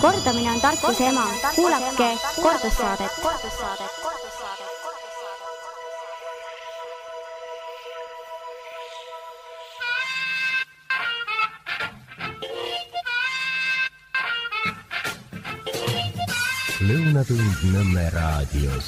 Kordamine on tarkuse ema. Kuulake kordussaadet. Lõunatund Nõmme raadios.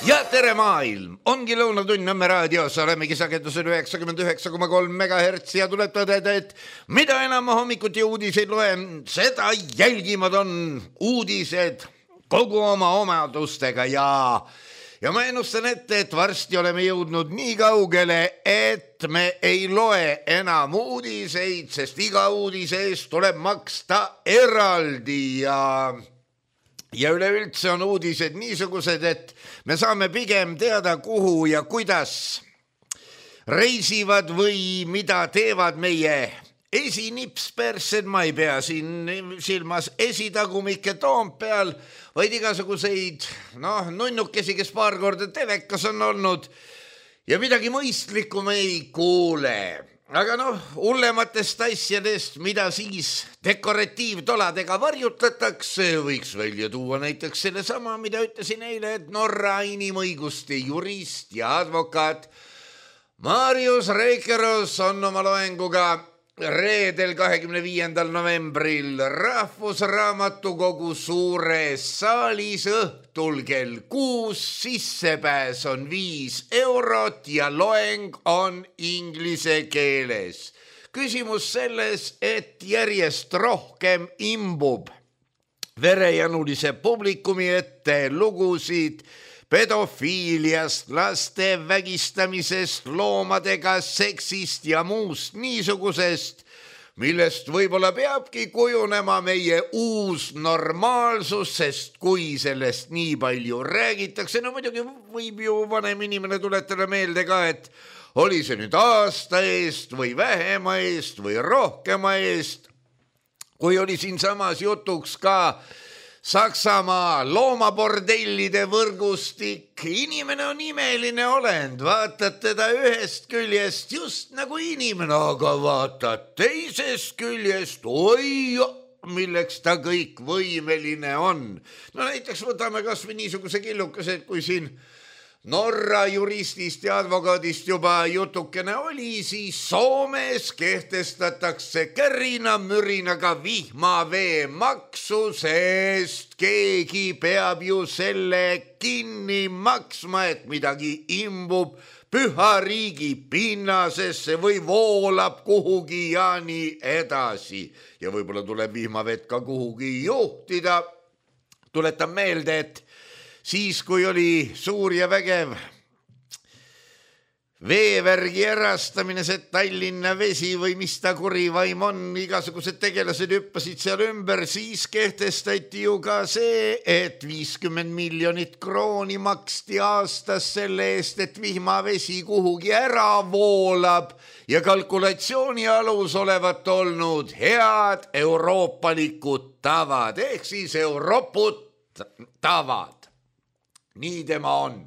Ja tere maailm! Ongi Lõunatund Nõmme raadios. Olemegi sagedusel 99,3 MHz ja tuleb tõdeda, et mida enam hommikuti uudiseid loen, seda jälgimad on uudised kogu oma omadustega ja ma ennustan ette, et varsti oleme jõudnud nii kaugele, et me ei loe enam uudiseid, sest iga uudise eest tuleb maksta eraldi ja üleüldse on uudised niisugused, et me saame pigem teada, kuhu ja kuidas reisivad või mida teevad meie esinipspersed. Ma ei pea siin silmas esitagumikke Toompeal, vaid igasuguseid nunnukesi, kes paar korda telekas on olnud ja midagi mõistlikku me ei kuule. Aga hullematest asjadest, mida siis dekoratiivtoladega varjutatakse, võiks välja tuua näiteks selle sama, mida ütlesin eile, et Norra inimõiguste jurist ja advokaat Marius Reikeros on oma loenguga reedel 25. novembril Rahvusraamatukogu suures saalis õhtul kell 6. Sissepääs on 5 eurot ja loeng on inglise keeles. Küsimus selles, et järjest rohkem imbub verejanulise publikumi ette lugusid pedofiiliast, laste vägistamisest, loomadega seksist ja muust niisugusest, millest võib-olla peabki kujunema meie uus normaalsus, sest kui sellest nii palju räägitakse, muidugi võib ju vanem inimene tuletada meelde ka, et oli see nüüd aasta eest või vähema eest või rohkema eest, kui oli siinsamas jutuks ka Saksamaa loomabordellide võrgustik. Inimene on imeline olend, vaatad teda ühest küljest just nagu inimene, aga vaatad teisest küljest, oi, milleks ta kõik võimeline on. Näiteks võtame kas või niisuguse killukese, et kui siin Norra juristist ja advokaadist juba jutukene oli, siis Soomes kehtestatakse kärinamürinaga vihmavee maksu, sest keegi peab ju selle kinni maksma, et midagi imbub püha riigi pinnasesse või voolab kuhugi ja nii edasi. Ja võib-olla tuleb vihmavett ka kuhugi juhtida. Tuletan meelde, et siis, kui oli suur ja vägev veevärgi erastamine, see Tallinna Vesi või mis ta kurivaim on, igasugused tegelased hüppasid seal ümber, siis kehtestati ju ka see, et 50 miljonit krooni maksti aastas selle eest, et vihmavesi kuhugi ära voolab ja kalkulatsiooni alus olevat olnud head euroopalikud tavad, ehk siis Eurooput tavad. Nii tema on.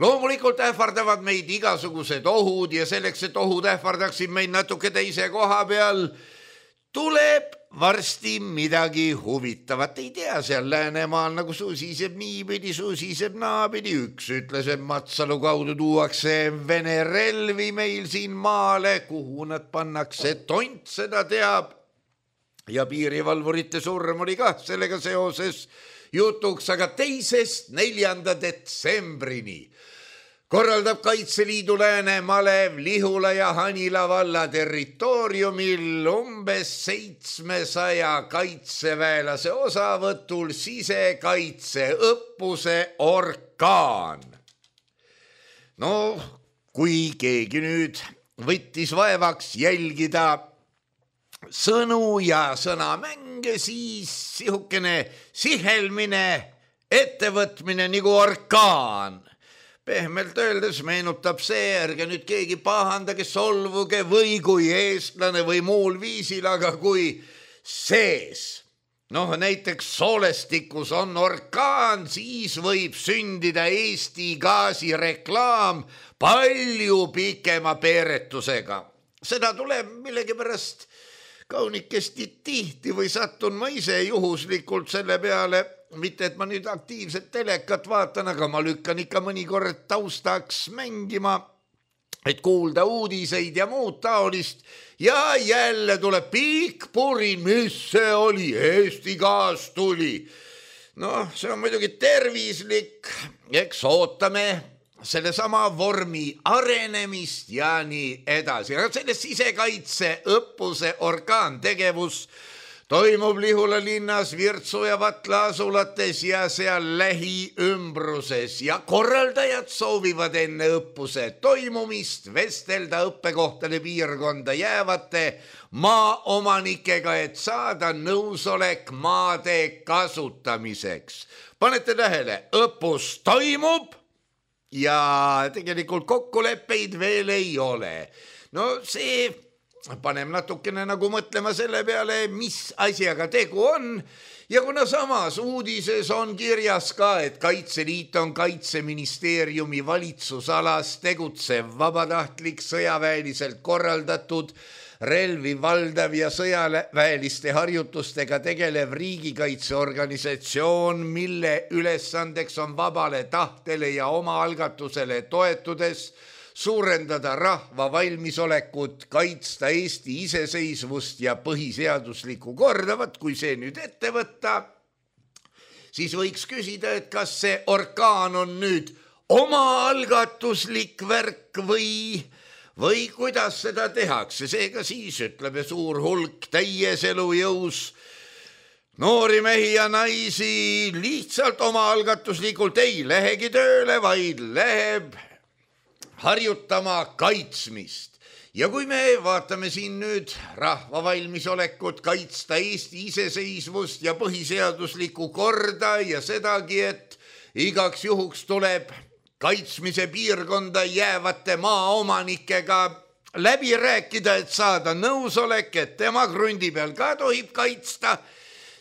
Loomulikult ähvardavad meid igasugused ohud ja selleks, et ohud ähvardaksid meid natuke teise koha peal, tuleb varsti midagi huvitavat. Ei tea, seal Läänemaal nagu susiseb niipidi, susiseb naapidi. Üks ütles, et Matsalu kaudu tuuakse Vene relvi meil siin maale, kuhu nad pannakse, tont seda teab. Ja piirivalvurite surm oli ka sellega seoses jutuks, aga 2.–4. detsembrini korraldab Kaitseliidu Lääne, Malev, Lihula ja Hanila valla territooriumil umbes 700 kaitseväelase osavõtul sisekaitseõppuse Orkaan. Kui keegi nüüd võttis vaevaks jälgida sõnu ja sõnamänge, siis sihukene sihelmine ettevõtmine nagu orkaan. Pehmelt öeldes meenutab see, ärge nüüd keegi pahandage, solvuge või kui eestlane või muul viisil, aga kui sees. Näiteks soolestikus on orkaan, siis võib sündida Eesti gaasireklaam palju pikema peeretusega. Seda tuleb millegipärast kaunikesti tihti või sattun ma ise juhuslikult selle peale, mitte et ma nüüd aktiivset telekat vaatan, aga ma lükkan ikka mõnikord taustaks mängima, et kuulda uudiseid ja muud taolist ja jälle tuleb pikk purin, mis see oli, Eesti gaas tuli. Noh, see on muidugi tervislik, eks ootame selle sama vormi arenemist ja nii edasi. Aga selle sisekaitse õppuse orgaantegevus toimub Lihula linnas, Virtsu ja Vatla asulates ja seal lähiümbruses ja korraldajad soovivad enne õppuse toimumist vestelda õppekohtade piirkonda jäävate maaomanikega, et saada nõusolek maade kasutamiseks. Panete tähele, õppus toimub ja tegelikult kokkuleppeid veel ei ole. No see paneb natukene nagu mõtlema selle peale, mis asjaga tegu on. Ja kuna samas uudises on kirjas ka, et Kaitseliit on Kaitseministeeriumi valitsusalas tegutsev vabatahtlik sõjaväeliselt korraldatud relvi valdav ja sõjaväeliste harjutustega tegelev riigikaitseorganisatsioon, mille ülesandeks on vabale tahtele ja omaalgatusele toetudes suurendada rahva valmisolekut kaitsta Eesti iseseisvust ja põhiseaduslikku korda. Vaat kui see nüüd ette võtta, siis võiks küsida, et kas see orkaan on nüüd omaalgatuslik värk või kuidas seda tehakse. Seega siis ütleb suur hulk täies elujõus noori mehi ja naisi lihtsalt omaalgatuslikult ei lähegi tööle, vaid läheb harjutama kaitsmist. Ja kui me vaatame siin nüüd rahva valmisolekut kaitsta Eesti iseseisvust ja põhiseaduslikku korda ja sedagi, et igaks juhuks tuleb kaitsmise piirkonda jäävate maaomanikega läbi rääkida, et saada nõusolek, et tema krundi peal ka tohib kaitsta,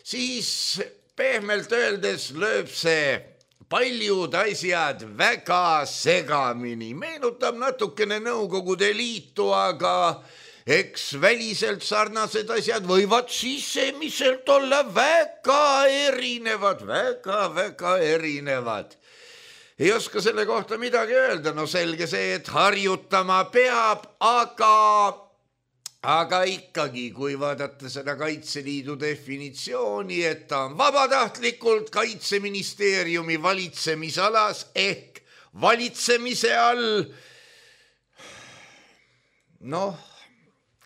siis pehmelt öeldes lööb see paljud asjad väga segamini. Meenutab natukene Nõukogude Liitu, aga eks väliselt sarnased asjad võivad sisemiselt olla väga erinevad, väga erinevad. Ei oska selle kohta midagi öelda, no selge see, et harjutama peab, aga ikkagi, kui vaadata seda Kaitseliidu definitsiooni, et ta on vabatahtlikult Kaitseministeeriumi valitsemisalas ehk valitsemise all, noh,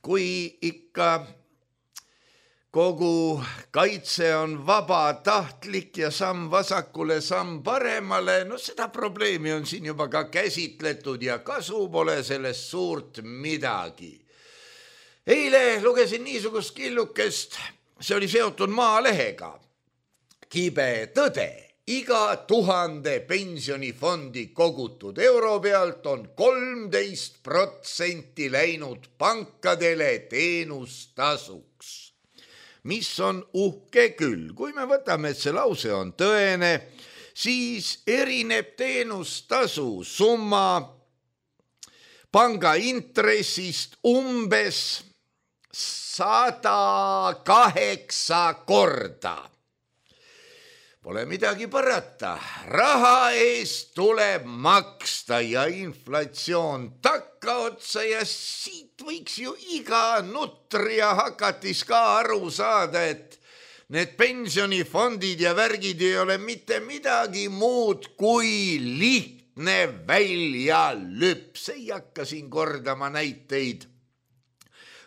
kui ikka kogu kaitse on vabatahtlik ja samm vasakule, samm paremale, no seda probleemi on siin juba ka käsitletud ja kasu pole sellest suurt midagi. Eile lugesin niisugust killukest, see oli seotud Maalehega. Kibe tõde, iga 1000 pensionifondi kogutud euro pealt on 13% läinud pankadele teenustasuks. Mis on uhke küll. Kui me võtame, et see lause on tõene, siis erineb teenustasu summa panga intressist umbes 108 korda. Pole midagi parata, raha eest tuleb maksta ja inflatsioon takkaotsa ja siit võiks ju iga nutri ja hakatis ka aru saada, et need pensionifondid ja värgid ei ole mitte midagi muud kui lihtne väljalüps. Ei hakka siin kordama näiteid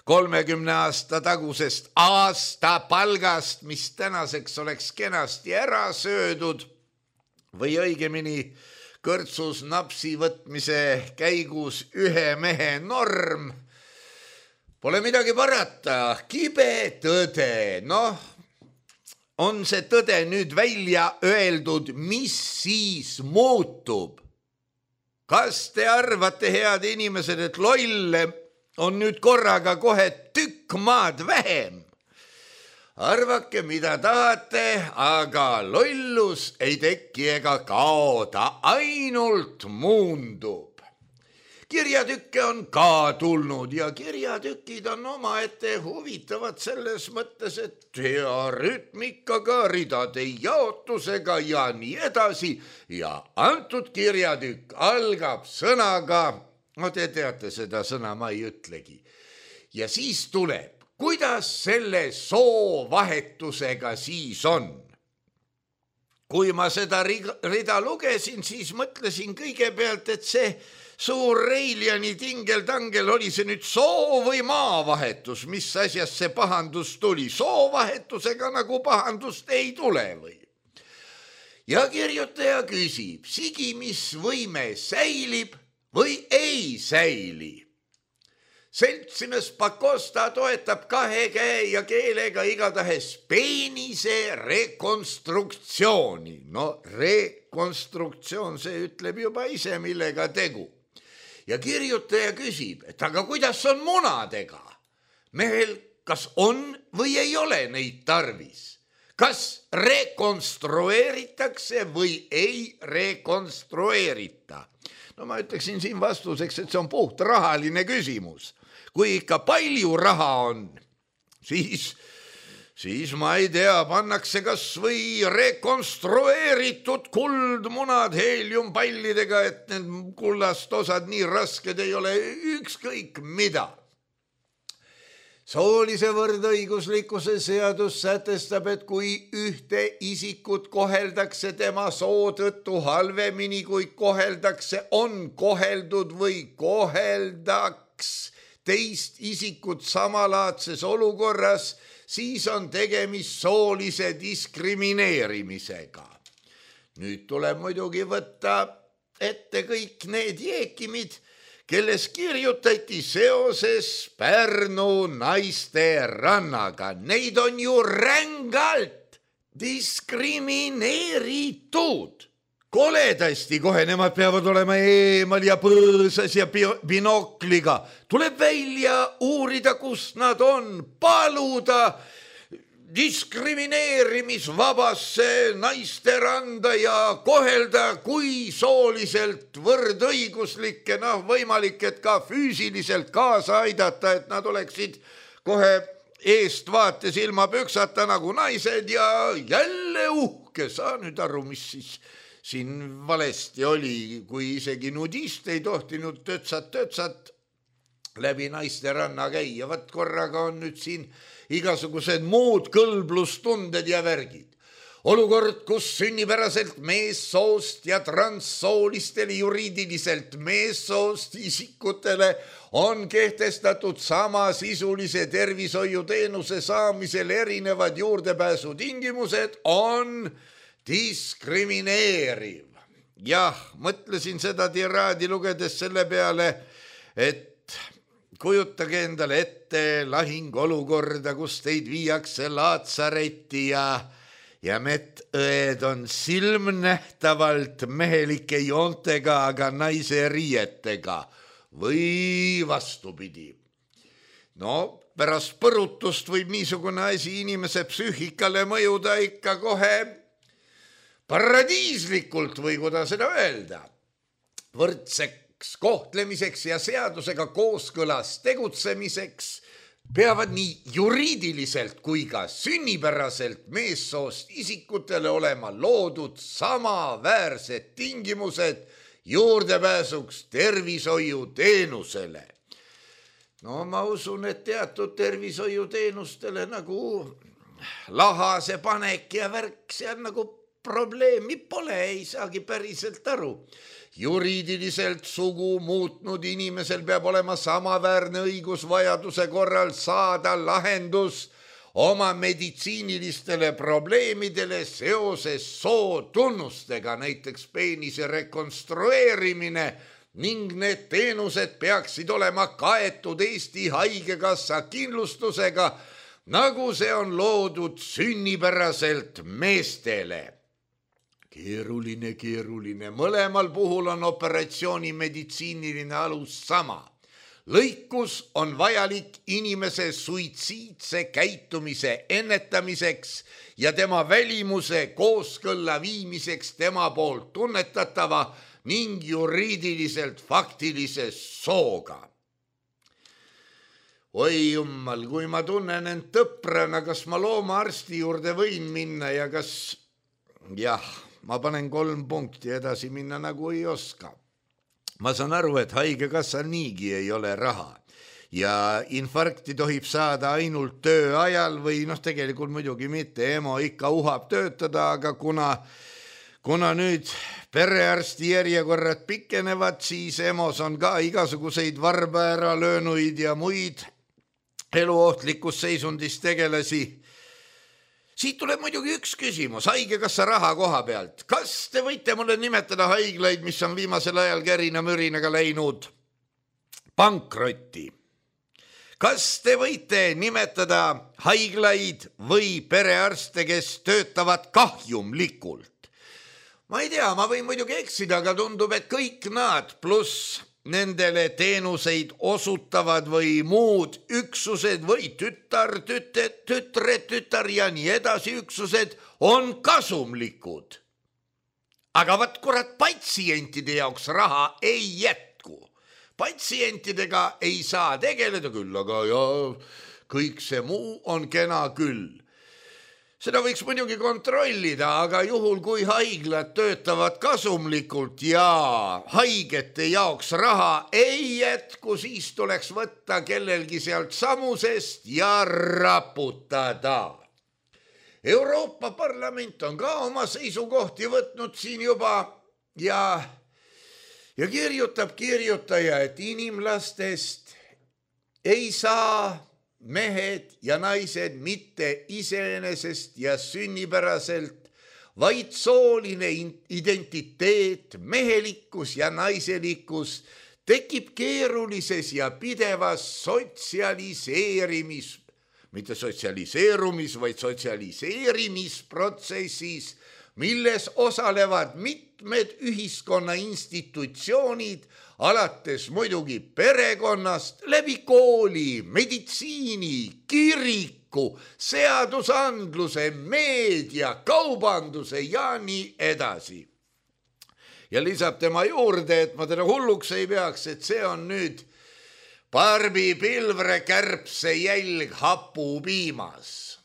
30 aasta tagusest aastapalgast, mis tänaseks oleks kenasti ära söödud või õigemini kõrtsus napsi võtmise käigus ühe mehe norm. Pole midagi parata, kibe tõde. Noh, on see tõde nüüd välja öeldud, mis siis muutub? Kas te arvate, head inimesed, et lolle on nüüd korraga kohe tükk maad vähem? Arvake, mida tahate, aga lollus ei teki ega kao, ta ainult muundub. kirjatükke on ka tulnud ja kirjatükid on omaette huvitavad selles mõttes, et hea rütmikaga, ridade jaotusega ja nii edasi. Ja antud kirjatükk algab sõnaga, no te teate seda sõna, ma ei ütlegi. Ja siis tuleb, kuidas selle soovahetusega siis on. Kui ma seda rida lugesin, siis mõtlesin kõigepealt, et see suur Reiljani tingeltangel oli see nüüd soo või maavahetus, mis asjast see pahandus tuli. Soovahetusega nagu pahandust ei tule või? Ja kirjutaja küsib, sigimisvõime säilib või ei säili? Seltsimees Pakosta toetab 2 käe ja keelega igatahes peenise rekonstruktsiooni. No rekonstruktsioon, see ütleb juba ise, millega tegu. Ja kirjutaja küsib, et aga kuidas on munadega? Mehel kas on või ei ole neid tarvis? Kas rekonstrueeritakse või ei rekonstrueerita? No ma ütleksin siin vastuseks, et see on puht rahaline küsimus. Kui ikka palju raha on, siis ma ei tea, pannakse kas või rekonstrueeritud kuldmunad heeliumpallidega, et need kullast osad nii rasked ei ole ükskõik mida. Soolise võrdõiguslikkuse seadus sätestab, et kui ühte isikut koheldakse tema soo tõttu halvemini, kui koheldakse, on koheldud või koheldaks teist isikut samalaadses olukorras, siis on tegemist soolise diskrimineerimisega. Nüüd tuleb muidugi võtta ette kõik need jeekimid, kelles kirjutati seoses Pärnu naisterannaga. Neid on ju rängalt diskrimineeritud. Koledasti kohe, nemad peavad olema eemal ja põõsas ja binokliga. Tuleb välja uurida, kus nad on, paluda diskrimineerimisvabasse naisteranda ja kohelda kui sooliselt võrdõiguslikke, võimalik, et ka füüsiliselt kaasa aidata, et nad oleksid kohe eestvaates ilma püksata nagu naised ja jälle uhke. Saa nüüd aru, mis siis siin valesti oli, kui isegi nudist ei tohtinud tötsat läbi naisteranna käia. Vat korraga on nüüd siin igasugused muud kõlblustunded ja värgid. Olukord, kus sünnipäraselt meessoost ja transsoolistele juriidiliselt meessoost isikutele on kehtestatud samasisulise tervishoiuteenuse saamisel erinevad juurdepääsutingimused, on diskrimineeriv. Jah, mõtlesin seda tiraadi lugedes selle peale, et kujutage endale ette lahingolukorda, kus teid viiakse Laatsaretti ja medõed on silmnähtavalt mehelike joontega, aga naise riietega või vastupidi. No, pärast põrutust võib niisugune asi inimese psüühikale mõjuda ikka kohe paradiislikult või kuidas seda öelda. Võrdseks kohtlemiseks ja seadusega kooskõlas tegutsemiseks peavad nii juriidiliselt kui ka sünnipäraselt meessoost isikutele olema loodud samaväärsed tingimused juurdepääsuks tervishoiuteenusele. No ma usun, et teatud tervishoiuteenustele nagu lahase panek ja värk seal nagu probleemi pole, ei saagi päriselt aru. Juriidiliselt sugu muutnud inimesel peab olema samaväärne õigus vajaduse korral saada lahendus oma meditsiinilistele probleemidele seoses sootunnustega, näiteks peenise rekonstrueerimine, ning need teenused peaksid olema kaetud Eesti Haigekassa kindlustusega, nagu see on loodud sünnipäraselt meestele. Keeruline. Mõlemal puhul on operatsiooni meditsiiniline alus sama. Lõikus on vajalik inimese suitsiidse käitumise ennetamiseks ja tema välimuse kooskõlla viimiseks tema poolt tunnetatava ning juriidiliselt faktilise sooga. Oi jummal, kui ma tunnen end tõprana, kas ma loomaarsti juurde võin minna ja kas, jah, ma panen 3 punkti, edasi minna nagu ei oska. Ma saan aru, et haigekassal niigi ei ole raha ja infarkti tohib saada ainult töö ajal või tegelikult muidugi mitte, EMO ikka uhab töötada, aga kuna nüüd perearsti järjekorrad pikenevad, siis EMO-s on ka igasuguseid varba ära löönuid ja muid eluohtlikus seisundis tegelasi. Siit tuleb muidugi üks küsimus haigekassa raha koha pealt. Kas te võite mulle nimetada haiglaid, mis on viimasel ajal kärina-mürinaga läinud pankrotti? Kas te võite nimetada haiglaid või perearste, kes töötavad kahjumlikult? Ma ei tea, ma võin muidugi eksida, aga tundub, et kõik nad pluss nendele teenuseid osutavad või muud üksused või tütar ja nii edasi üksused on kasumlikud. Aga vaat kurat, patsientide jaoks raha ei jätku. Patsientidega ei saa tegeleda küll, aga kõik see muu on kena küll. Seda võiks muidugi kontrollida, aga juhul kui haiglad töötavad kasumlikult ja haigete jaoks raha ei jätku, siis tuleks võtta kellelgi sealt samusest ja raputada. Euroopa Parlament on ka oma seisukohti võtnud siin juba ja kirjutab kirjutaja, et inimlastest ei saa mehed ja naised mitte iseenesest ja sünnipäraselt, vaid sooline identiteet, mehelikkus ja naiselikkus tekib keerulises ja pidevas mitte vaid sotsialiseerimisprotsessis, milles osalevad mitmed ühiskonna institutsioonid, alates muidugi perekonnast, läbi kooli, meditsiini, kiriku, seadusandluse, meedia, kaubanduse ja nii edasi. Ja lisab tema juurde, et ma teda hulluks ei peaks, et see on nüüd Barbi Pilvre kärbse jälg hapupiimas.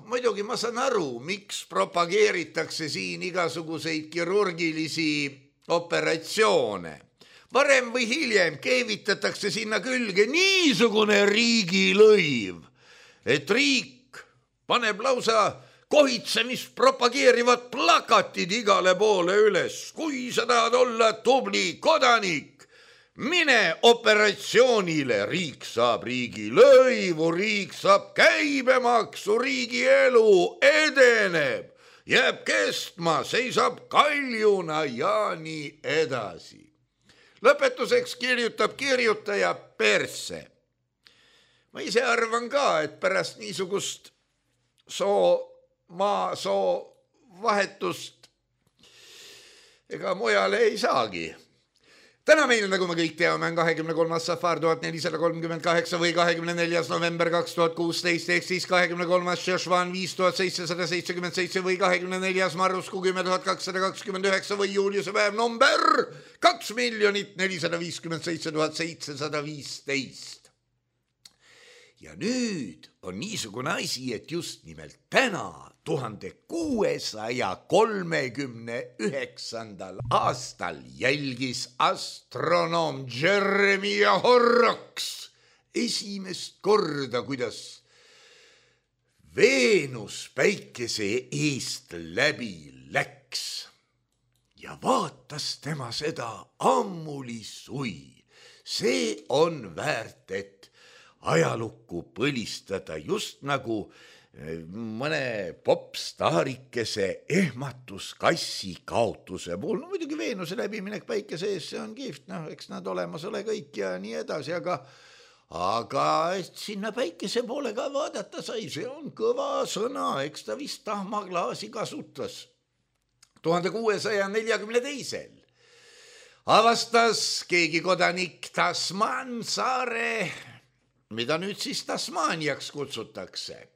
Muidugi ma saan aru, miks propageeritakse siin igasuguseid kirurgilisi operatsioone. Varem või hiljem keevitatakse sinna külge niisugune riigilõiv, et riik paneb lausa kohitsemist propageerivad plakatid igale poole üles. Kui sa tahad olla tubli kodanik, mine operatsioonile, riik saab riigilõivu, riik saab käibemaksu, riigi elu edeneb, jääb kestma, seisab kaljuna ja nii edasi. Lõpetuseks kirjutab kirjutaja perse. Ma ise arvan ka, et pärast niisugust soo vahetust ega mujale ei saagi. Täna meil, nagu me kõik teame, on 23. safar 1438 või 24. november 2016 ehk siis 23. Šešvan 5777 või 24. marrusku 10229 või juuliuse päev number 2,457,715. Ja nüüd on niisugune asi, et just nimelt täna 1639. aastal jälgis astronoom Jeremiah Horrocks esimest korda, kuidas Veenus päikese eest läbi läks ja vaatas tema seda ammuli sui. See on väärt, et ajalukku põlistada, just nagu mõne popstaarikese ehmatuskassi kaotuse puhul. Muidugi Veenuse läbiminek päikese ees, see on kihvt, eks nad olemas ole kõik ja nii edasi, aga et sinna päikese poole ka vaadata sai, see on kõva sõna, eks ta vist tahmaklaasi kasutas. 1642. avastas keegi kodanik Tasman saare, mida nüüd siis Tasmaniaks kutsutakse.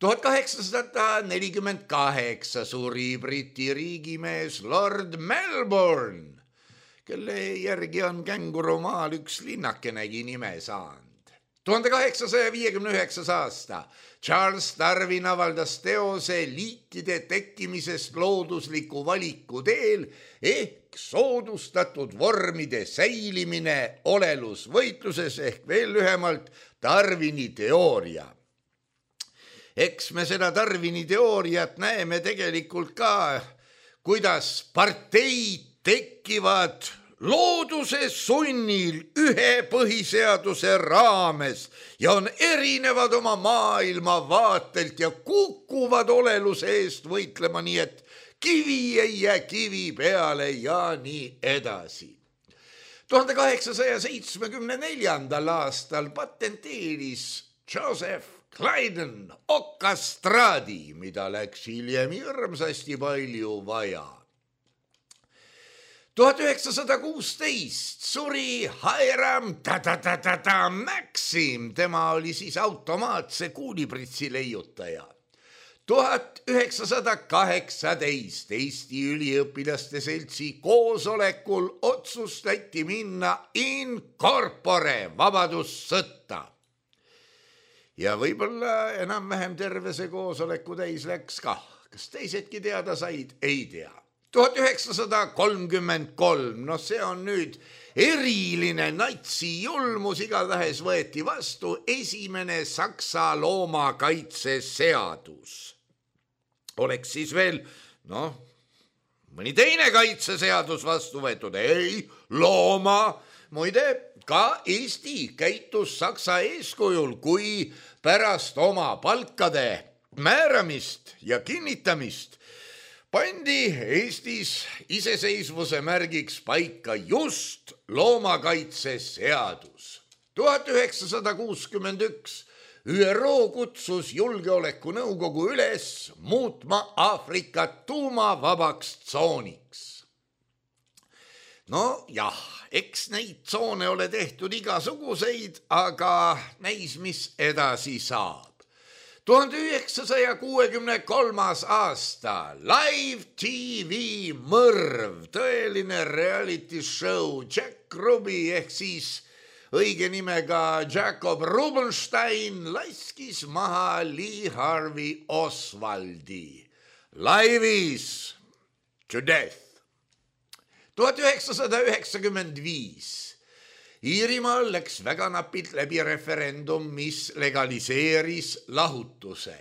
1848 suri Briti riigimees Lord Melbourne, kelle järgi on Kängurumaal üks linnakenegi nime saanud. 1859 aasta Charles Darwin avaldas teose liikide tekkimisest loodusliku valiku teel ehk soodustatud vormide säilimine olelusvõitluses ehk veel lühemalt Darwini teooria. Eks me seda Darwini teooriat näeme tegelikult ka, kuidas parteid tekivad looduse sunnil ühe põhiseaduse raames ja on erinevad oma maailmavaatelt ja kukuvad oleluse eest võitlema, nii et kivi ei jää kivi peale ja nii edasi. 1874. aastal patenteeris Joseph Clayton okastraadi, mida läks hiljem hirmsasti palju vaja. 1916 suri Hiram Maxim, tema oli siis automaatse kuulipritsi leiutaja. 1918 Eesti üliõpilaste seltsi koosolekul otsustati minna in corpore vabadussõtta. Ja võib-olla enam-vähem terve see koosoleku täis läks kah. Kas teisedki teada said? Ei tea. 1933, see on nüüd eriline natsijulmus, igatahes võeti vastu esimene Saksa loomakaitseseadus. Oleks siis veel, mõni teine kaitseseadus vastu võetud, ei, looma. Muide, ka Eesti käitus Saksa eeskujul, kui pärast oma palkade määramist ja kinnitamist pandi Eestis iseseisvuse märgiks paika just loomakaitseseadus. 1961 ÜRO kutsus julgeolekunõukogu üles muutma Aafrikat tuumavabaks tsooniks. Jah, eks neid tsoone ole tehtud igasuguseid, aga näis, mis edasi saab. 1963. aasta Live TV mõrv, tõeline reality show. Jack Ruby ehk siis õige nimega Jacob Rubenstein laskis maha Lee Harvey Oswaldi. Live'is to death. 1995 Iirimaal läks väga napilt läbi referendum, mis legaliseeris lahutuse.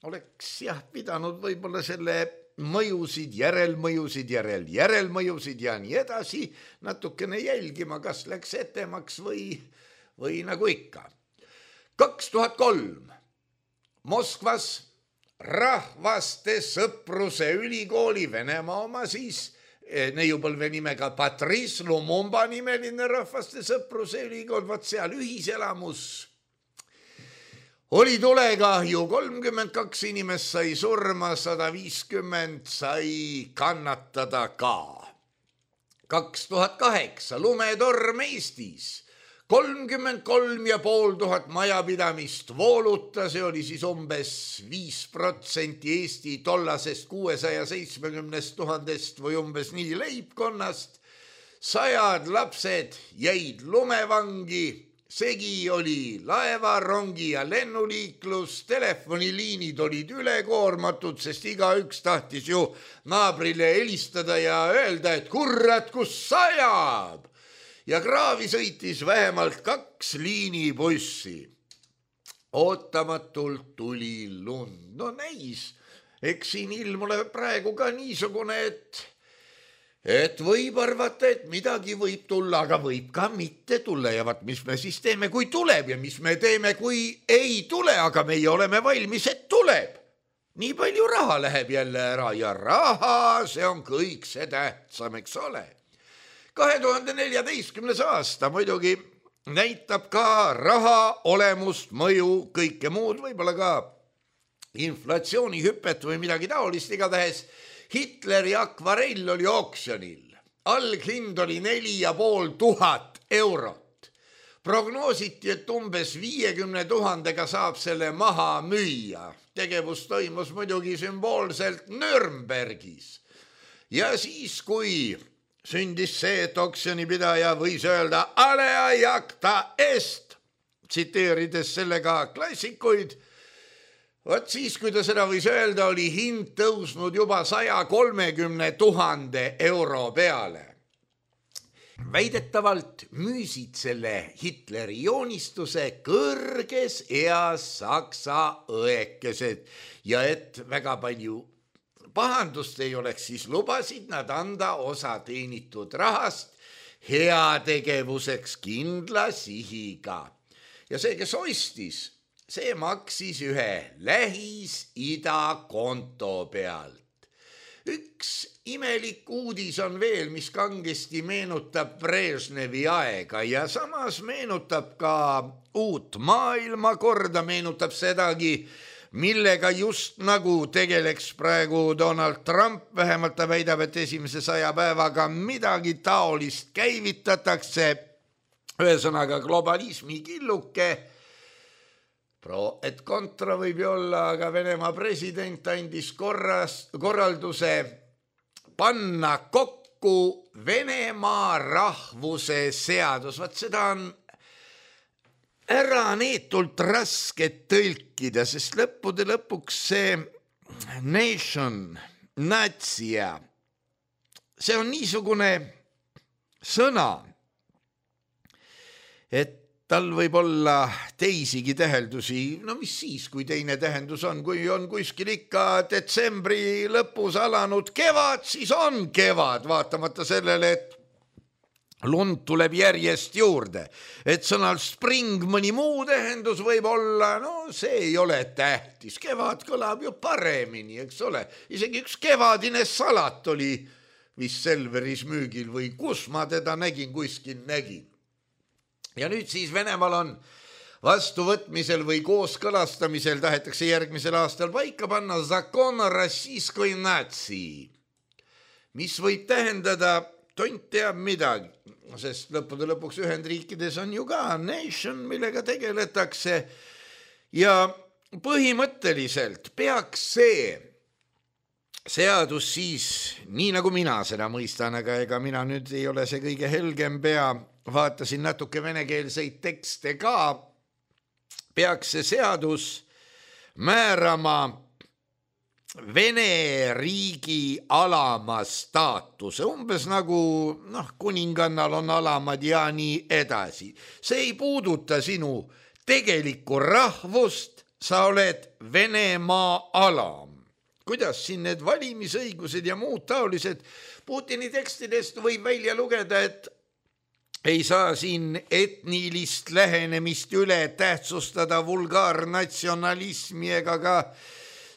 Oleks pidanud võib-olla selle mõjusid, järelmõjusid ja nii edasi natukene jälgima, kas läks etemaks või nagu ikka. 2003 Moskvas Rahvaste Sõpruse ülikooli, Venemaa oma siis, neiupõlve nimega Patrice Lumumba nimeline Rahvaste Sõpruse ülikool, vaat seal ühiselamus oli tulekahju, 32 inimest sai surma, 150 sai kannatada ka. 2008 lumetorm Eestis, 33,500 majapidamist vooluta, see oli siis umbes 5% Eesti tollasest 670 000 või umbes nii leibkonnast. 100 lapsed jäid lumevangi, segi oli laeva, rongi ja lennuliiklus, telefoniliinid olid ülekoormatud, sest igaüks tahtis ju naabrile helistada ja öelda, et kurat, kus sajab. Ja kraavi sõitis vähemalt 2 liinibussi. Ootamatult tuli lund. Näis, eks siin ilm ole praegu ka niisugune, et võib arvata, et midagi võib tulla, aga võib ka mitte tulla. Ja vaat, mis me siis teeme, kui tuleb ja mis me teeme, kui ei tule, aga meie oleme valmis, et tuleb. Nii palju raha läheb jälle ära ja raha, see on kõik see tähtsam, eks ole. 2014. aasta muidugi näitab ka raha olemust, mõju, kõike muud, võib-olla ka inflatsioonihüpet või midagi taolist, igatahes Hitleri akvarell oli oksjonil. Alghind oli 4500 eurot. Prognoositi, et umbes 50 000 saab selle maha müüa. Tegevus toimus muidugi sümboolselt Nürnbergis. Ja siis, kui sündis see, et oksjonipidaja võis öelda alea jacta est, tsiteerides sellega klassikuid, vot siis, kui ta seda võis öelda, oli hind tõusnud juba 130 000 euro peale. Väidetavalt müüsid selle Hitleri joonistuse kõrges eas saksa õekesed ja et väga palju pahandust ei oleks, siis lubasid nad anda osa teenitud rahast heategevuseks kindla sihiga. Ja see, kes ostis, see maksis ühe Lähis-Ida konto pealt. Üks imelik uudis on veel, mis kangesti meenutab Brežnevi aega ja samas meenutab ka uut maailmakorda, meenutab sedagi, millega just nagu tegeleks praegu Donald Trump, vähemalt ta väidab, et esimese 100 päevaga midagi taolist käivitatakse, ühesõnaga globalismi killuke, pro et kontra võib ju olla, aga Venemaa president andis korralduse panna kokku Venemaa rahvuse seadus. Vaat seda on äraneetult raske tõlkida, sest lõppude lõpuks see nation, natsia, see on niisugune sõna, et tal võib olla teisigi täheldusi, no mis siis, kui teine tähendus on, kui on kuskil ikka detsembri lõpus alanud kevad, siis on kevad, vaatamata sellele, et lund tuleb järjest juurde, et sõnal spring mõni muu tähendus võib olla, no see ei ole tähtis, kevad kõlab ju paremini, eks ole, isegi üks kevadine salat oli vist Selveris müügil või kus ma teda nägin, kuskil nägin. Ja nüüd siis Venemaal on vastuvõtmisel või kooskõlastamisel tahetakse järgmisel aastal paika panna zakon rossijskoi natsi, mis võib tähendada tont teab midagi, sest lõppude lõpuks Ühendriikides on ju ka nation, millega tegeletakse ja põhimõtteliselt peaks see seadus siis, nii nagu mina seda mõistan, aga ega mina nüüd ei ole see kõige helgem pea, vaatasin natuke venekeelseid tekste ka, peaks see seadus määrama Vene riigi alama staatuse, umbes nagu kuningannal on alamad ja nii edasi. See ei puuduta sinu tegelikku rahvust, sa oled Venemaa alam. Kuidas siin need valimisõigused ja muud taolised Putini tekstidest võib välja lugeda, et ei saa siin etnilist lähenemist üle tähtsustada vulgaarnatsionalismi ega ka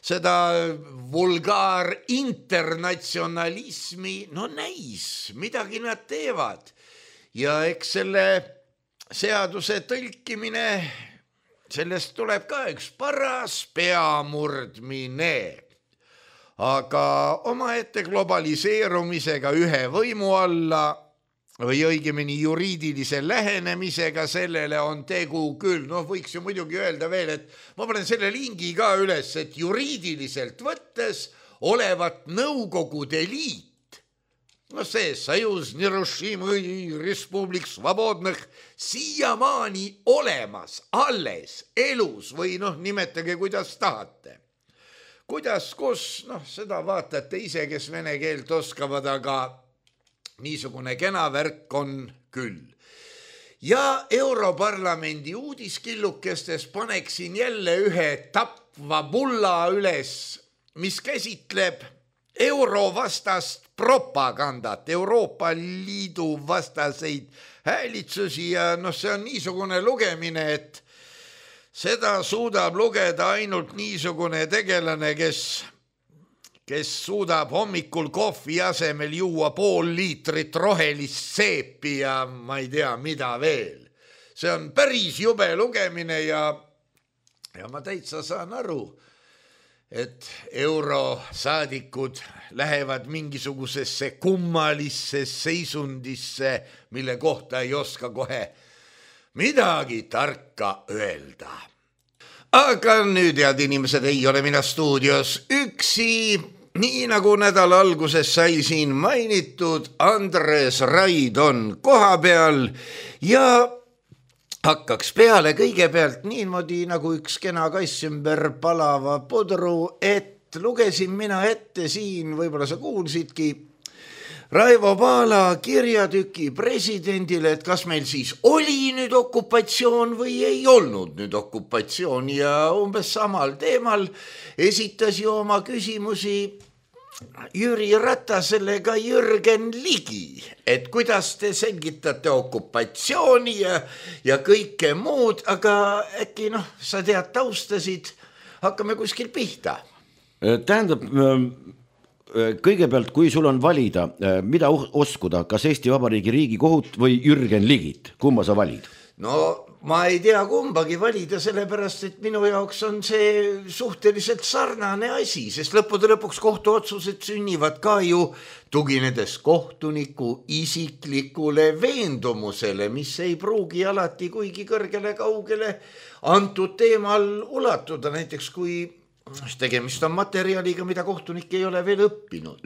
seda vulgaarinternatsionalismi, no näis, midagi nad teevad. Ja eks selle seaduse tõlkimine, sellest tuleb ka üks paras peamurdmine. Aga omaette globaliseerumisega ühe võimu alla või õigemini juriidilise lähenemisega sellele on tegu küll. Võiks ju muidugi öelda veel, et ma panen selle lingi ka üles, et juriidiliselt võttes olevat Nõukogude Liit, see Sajuz Nerussimõi Respublik Svobodnõh siiamaani olemas, alles, elus või nimetage kuidas tahate. Kuidas, kus, seda vaatate ise, kes vene keelt oskavad, aga niisugune kena värk on küll. Ja Europarlamendi uudiskillukestes paneksin jälle ühe tapva bulla üles, mis käsitleb eurovastast propagandat, Euroopa Liidu vastaseid häälitsusi ja see on niisugune lugemine, et seda suudab lugeda ainult niisugune tegelane, kes suudab hommikul kohvi asemel juua 0,5 liitrit rohelist seepi ja ma ei tea, mida veel. See on päris jube lugemine ja ma täitsa saan aru, et eurosaadikud lähevad mingisugusesse kummalisse seisundisse, mille kohta ei oska kohe midagi tarka öelda. Aga nüüd, head inimesed, ei ole mina stuudios üksi, nii nagu nädala alguses sai siin mainitud, Andres Raid on koha peal ja hakkaks peale kõigepealt niimoodi nagu üks kena kass ümber palava pudru, et lugesin mina ette siin, võib-olla sa kuulsidki, Raivo Paala kirjatüki presidendile, et kas meil siis oli nüüd okupatsioon või ei olnud nüüd okupatsioon ja umbes samal teemal esitas ju oma küsimusi Jüri Ratasele ka Jürgen Ligi, et kuidas te selgitate okupatsiooni ja kõike muud, aga äkki sa tead taustasid, hakkame kuskil pihta. Tähendab, kõigepealt, kui sul on valida, mida uskuda, kas Eesti Vabariigi Riigikohut või Jürgen Ligit, kumma sa valid? No ma ei tea kumbagi valida, sellepärast et minu jaoks on see suhteliselt sarnane asi, sest lõppude lõpuks kohtuotsused sünnivad ka ju tuginedes kohtuniku isiklikule veendumusele, mis ei pruugi alati kuigi kõrgele kaugele antud teemal ulatuda, näiteks kui tegemist on materjaliga, mida kohtunik ei ole veel õppinud.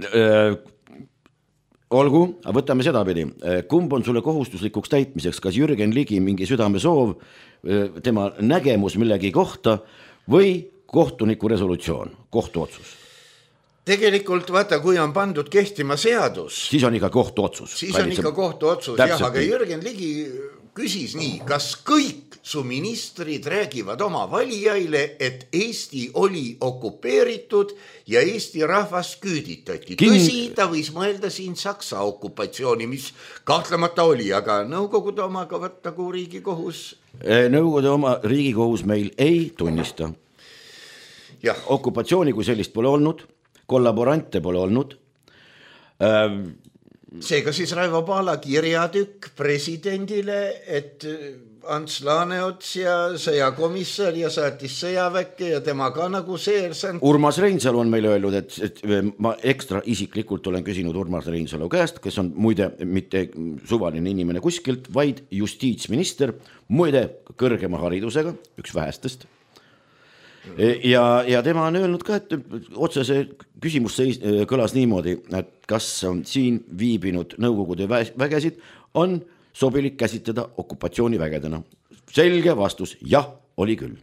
Olgu, võtame sedapidi. Kumb on sulle kohustuslikuks täitmiseks, kas Jürgen Ligi mingi südamesoov, tema nägemus millegi kohta või kohtuniku resolutsioon, kohtuotsus? Tegelikult vaata, kui on pandud kehtima seadus, siis on ikka kohtuotsus. Siis on ikka kohtuotsus, jah, aga Jürgen Ligi küsis nii, kas kõik su ministrid räägivad oma valijaile, et Eesti oli okupeeritud ja Eesti rahvast küüditati. Tõsi, ta võis mõelda siin Saksa okupatsiooni, mis kahtlemata oli, aga Nõukogude omaga nagu Riigikohus? Nõukogude oma Riigikohus meil ei tunnista. Ja. Okupatsiooni kui sellist pole olnud, kollaborante pole olnud. Seega siis Raivo Paala kirjatükk presidendile, et Ants Laaneots ja sõjakomissar ja saatis sõjaväkke ja tema ka nagu seersant. Urmas Reinsalu on meile öelnud, et ma ekstra isiklikult olen küsinud Urmas Reinsalu käest, kes on muide mitte suvaline inimene kuskilt, vaid justiitsminister, muide kõrgema haridusega, üks vähestest. Ja tema on öelnud ka, et otsese küsimus kõlas niimoodi, et kas siin viibinud Nõukogude vägesid on sobilik käsitleda okupatsioonivägedena. Selge vastus, jah, oli küll.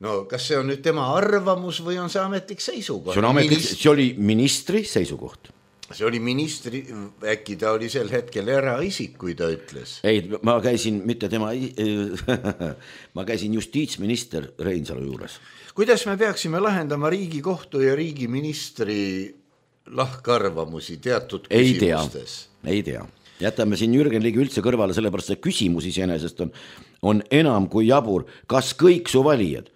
No kas see on nüüd tema arvamus või on see ametlik seisukoht? See oli ministri seisukoht. See oli ministri, äkki ta oli sel hetkel eraisik, kui ta ütles. Ei, ma käisin mitte tema, ma käisin justiitsminister Reinsalu juures. Kuidas me peaksime lahendama Riigikohtu ja riigiministri lahkarvamusi teatud küsimustes? Ei tea. Jätame siin Jürgen Ligi üldse kõrvale, sellepärast see küsimus iseenesest on enam kui jabur. Kas kõik su valijad?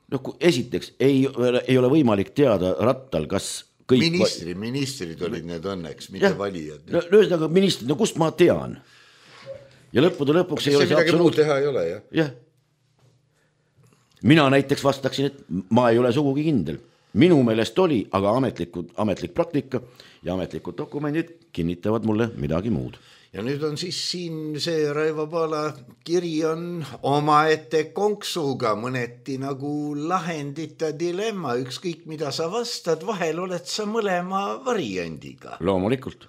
No, esiteks ei ole võimalik teada Rattal, kas kõik... Ministrid olid need õnneks, mitte valijad. No ministrid, no kust ma tean? Ja lõpuks ei ole see midagi muud teha ei ole, jah? Jah. Mina näiteks vastaksin, et ma ei ole sugugi kindel. Minu meelest oli, aga ametlik praktika ja ametlikud dokumendid kinnitavad mulle midagi muud. Ja nüüd on siis siin see Raivo Paala kiri on omaette konksuga, mõneti nagu lahendita dilemma, ükskõik mida sa vastad, vahel oled sa mõlema variandiga. Loomulikult.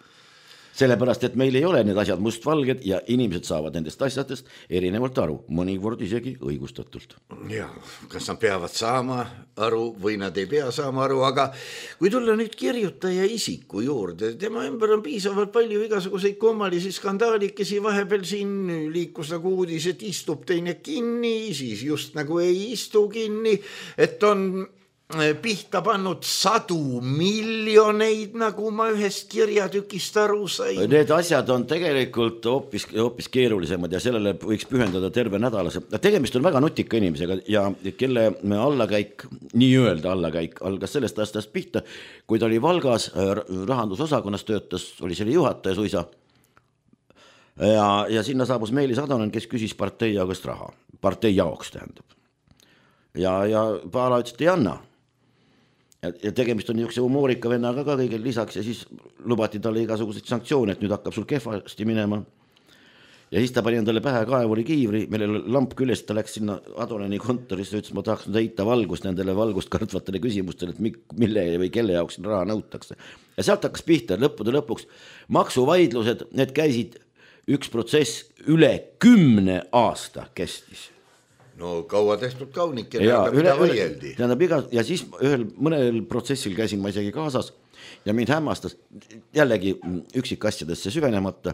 Sellepärast, et meil ei ole need asjad mustvalged ja inimesed saavad nendest asjadest erinevalt aru, mõnikord isegi õigustatult. Ja, kas nad peavad saama aru või nad ei pea saama aru, aga kui tulla nüüd kirjutaja isiku juurde, tema ümber on piisavalt palju igasuguseid kummalisi skandaalikesi, vahepeal siin liikus nagu uudis, et istub teine kinni, siis just nagu ei istu kinni, et on pihta pannud 100 miljoneid, nagu ma ühest kirjatükist aru sain. Need asjad on tegelikult hoopis keerulisemad ja sellele võiks pühendada terve nädalase. Tegemist on väga nutika inimesega ja kelle allakäik, nii-öelda allakäik, algas sellest aastast pihta, kui ta oli Valgas rahandusosakonnas töötas, oli selle juhataja suisa. Ja sinna saabus Meelis Adanen, kes küsis partei jaoks raha. Partei jaoks tähendab. Ja Paala ütles, et ei anna. Ja tegemist on niisuguse humoorika vennaga ka kõigil lisaks ja siis lubati talle igasuguseid sanktsioone, et nüüd hakkab sul kehvasti minema. ja siis ta pani endale pähe kaevuri kiivri, millel lamp küljest, ta läks sinna Adoleni kontorisse, ütles, ma tahaks heita valgust nendele valgust kartvatele küsimustele, et mille või kelle jaoks raha nõutakse. Ja sealt hakkas pihta, lõppude lõpuks maksuvaidlused, need käisid üks protsess üle 10 aasta kestis. No kaua tehtud kaunikene, aga mida võieldi. Ja siis mõnel protsessil käisin ma isegi kaasas ja mind hämmastas jällegi üksikasjadesse süvenemata.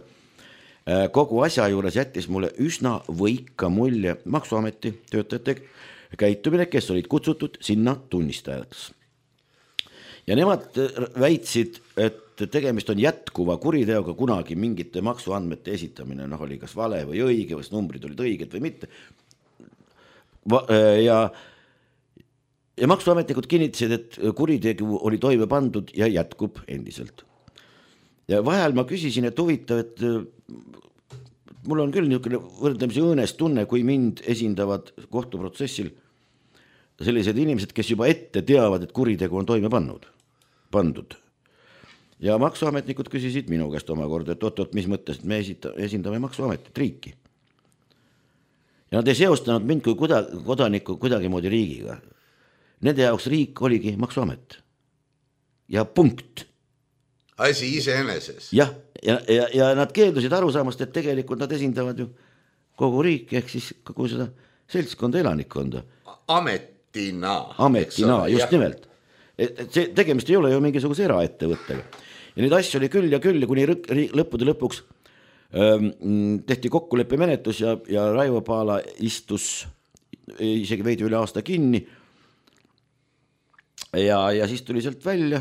Kogu asja juures jättis mulle üsna võika mulje Maksuameti töötajate käitumine, kes olid kutsutud sinna tunnistajaks. Ja nemad väitsid, et tegemist on jätkuva kuriteoga, kunagi mingite maksuandmete esitamine, oli kas vale või õige, kas numbrid olid õiged või mitte. Ja maksuametnikud kinnitasid, et kuritegu oli toime pandud ja jätkub endiselt. Ja vahel ma küsisin, et huvitav, et mul on küll niisugune võrdlemisi õõnes tunne, kui mind esindavad kohtuprotsessil sellised inimesed, kes juba ette teavad, et kuritegu on toime pandud. Ja maksuametnikud küsisid minu käest omakorda, et oot, mis mõttes, et me esindame maksuametit, riiki. Ja nad ei seostanud mind kui kodanikku kuidagi moodi riigiga. Nende jaoks riik oligi maksuamet. Ja punkt. Asi iseeneses. Ja nad keeldusid aru saamast, et tegelikult nad esindavad ju kogu riiki, ehk siis kogu seda seltskonda, elanikkonda. Ametina, just nimelt. See tegemist ei ole ju mingisuguse eraettevõttega. Ja neid asju oli küll ja kuni lõppude lõpuks tehti kokkuleppe menetlus ja Raivo Paala istus isegi veidi üle aasta kinni ja siis tuli sealt välja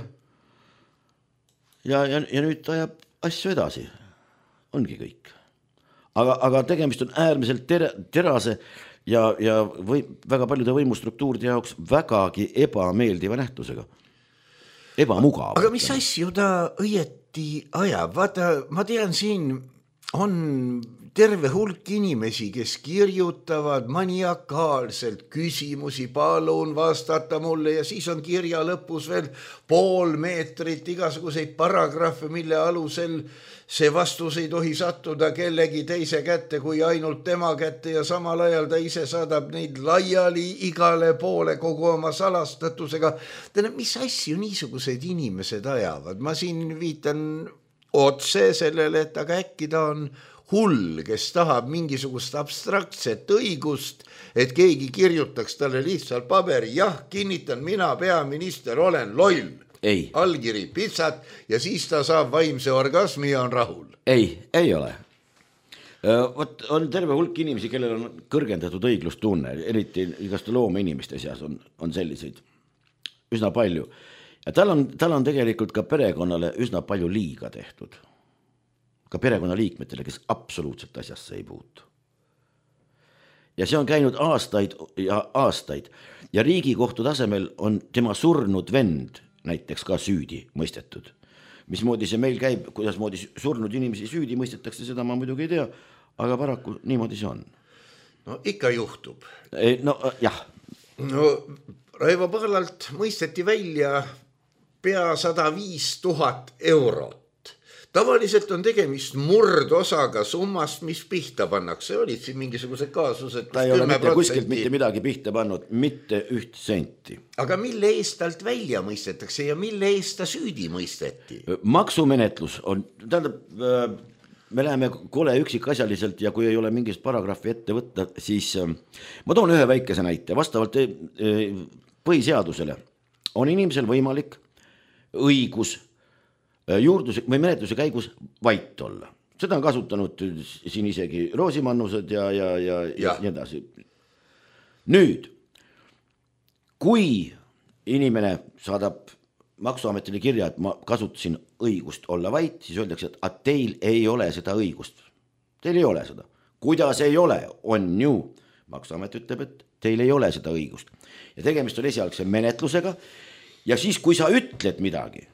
ja nüüd ajab asju edasi. Ongi kõik. Aga tegemist on äärmiselt terase ja väga paljude võimustruktuuride jaoks vägagi ebameeldiva nähtusega. Ebamugav. Aga mis asju ta õieti ajab? Vaata, ma tean, siin on terve hulk inimesi, kes kirjutavad maniakaalselt küsimusi, palun vastata mulle ja siis on kirja lõpus veel pool meetrit igasuguseid paragrahve, mille alusel see vastus ei tohi sattuda kellegi teise kätte kui ainult tema kätte ja samal ajal ta ise saadab neid laiali igale poole kogu oma salastatusega. Mis asju niisugused inimesed ajavad? Ma siin viitan otse sellele, et aga äkki ta on hull, kes tahab mingisugust abstraktset õigust, et keegi kirjutaks talle lihtsalt paberi, jah, kinnitan, mina peaminister olen loll. Ei. Allkiri pitsat ja siis ta saab vaimse orgasmi ja on rahul. Ei ole. On terve hulk inimesi, kellel on kõrgendatud õiglustunne, eriti igast loome inimeste seas on selliseid üsna palju. Ja tal on tegelikult ka perekonnale üsna palju liiga tehtud. Ka perekonnaliikmetele, kes absoluutselt asjasse ei puutu. Ja see on käinud aastaid ja Riigikohtu tasemel on tema surnud vend näiteks ka süüdi mõistetud. Mismoodi see meil käib, kuidas moodi surnud inimesi süüdi mõistetakse, seda ma muidugi ei tea, aga paraku niimoodi see on. No ikka juhtub. No jah. No Raivo Paalalt mõisteti välja pea 105 000 eurot. Tavaliselt on tegemist murdosaga summast, mis pihta pannakse. Olid siin mingisugused kaasused. Ta ei ole kuskilt mitte midagi pihta pannud, mitte üht senti. Aga mille eest talt välja mõistetakse ja mille eest ta süüdi mõisteti? Maksumenetlus on, me läheme kole üksikasjaliselt ja kui ei ole mingist paragrahvi ette võtta, siis ma toon ühe väikese näite. Vastavalt põhiseadusele on inimesel võimalik õigus juurduse või menetluse käigus vait olla. Seda on kasutanud siin isegi Roosimannused ja nii edasi. Nüüd, kui inimene saadab Maksuametile kirja, et ma kasutasin õigust olla vait, siis öeldakse, et teil ei ole seda õigust. Teil ei ole seda. Kuidas ei ole? On ju. Maksuamet ütleb, et teil ei ole seda õigust. Ja tegemist on esialgse menetlusega ja siis, kui sa ütled midagi,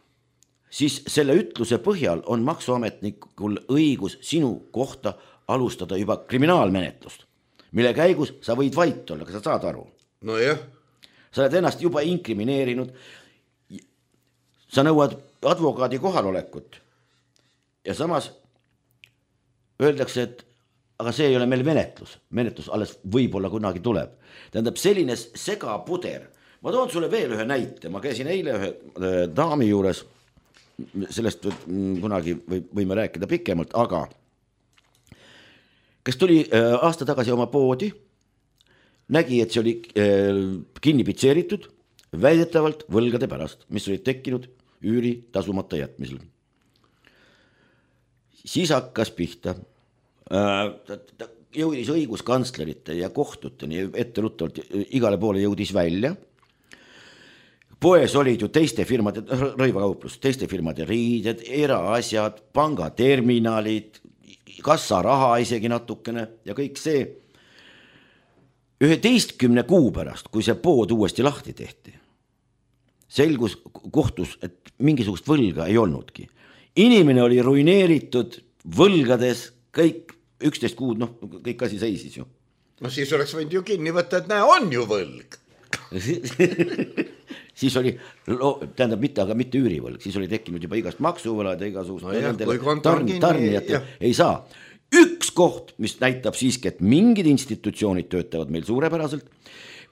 siis selle ütluse põhjal on maksuametnikul õigus sinu kohta alustada juba kriminaalmenetlust, mille käigus sa võid vait olla, kas sa saad aru? No jah. Sa oled ennast juba inkrimineerinud, sa nõuad advokaadi kohalolekut ja samas öeldakse, et aga see ei ole meil menetlus alles võib-olla kunagi tuleb. Tähendab selline segapuder. Ma toon sulle veel ühe näite, ma käisin eile ühe daami juures, sellest kunagi võime rääkida pikemalt, aga kes tuli aasta tagasi oma poodi, nägi, et see oli kinni pitseeritud väidetavalt võlgade pärast, mis olid tekkinud üüri tasumata jätmisel. Siis hakkas pihta, jõudis õiguskantslerite ja kohtuteni etteruttavalt, igale poole jõudis välja. Poes olid ju teiste firmade, rõivakauplus, teiste firmade riided, eraasjad, pangaterminalid, kassaraha isegi natukene ja kõik see. 11 kuu pärast, kui see pood uuesti lahti tehti, selgus kohtus, et mingisugust võlga ei olnudki. Inimene oli ruineeritud võlgades, kõik 11 kuud, kõik asi seisis ju. No siis oleks võinud ju kinni võtta, et näe, on ju võlg. Siis oli, tähendab mitte üürivõlg, siis oli tekkinud juba igast maksuvõlad ja igasugust tarnijad ei saa. Üks koht, mis näitab siiski, et mingid institutsioonid töötavad meil suurepäraselt,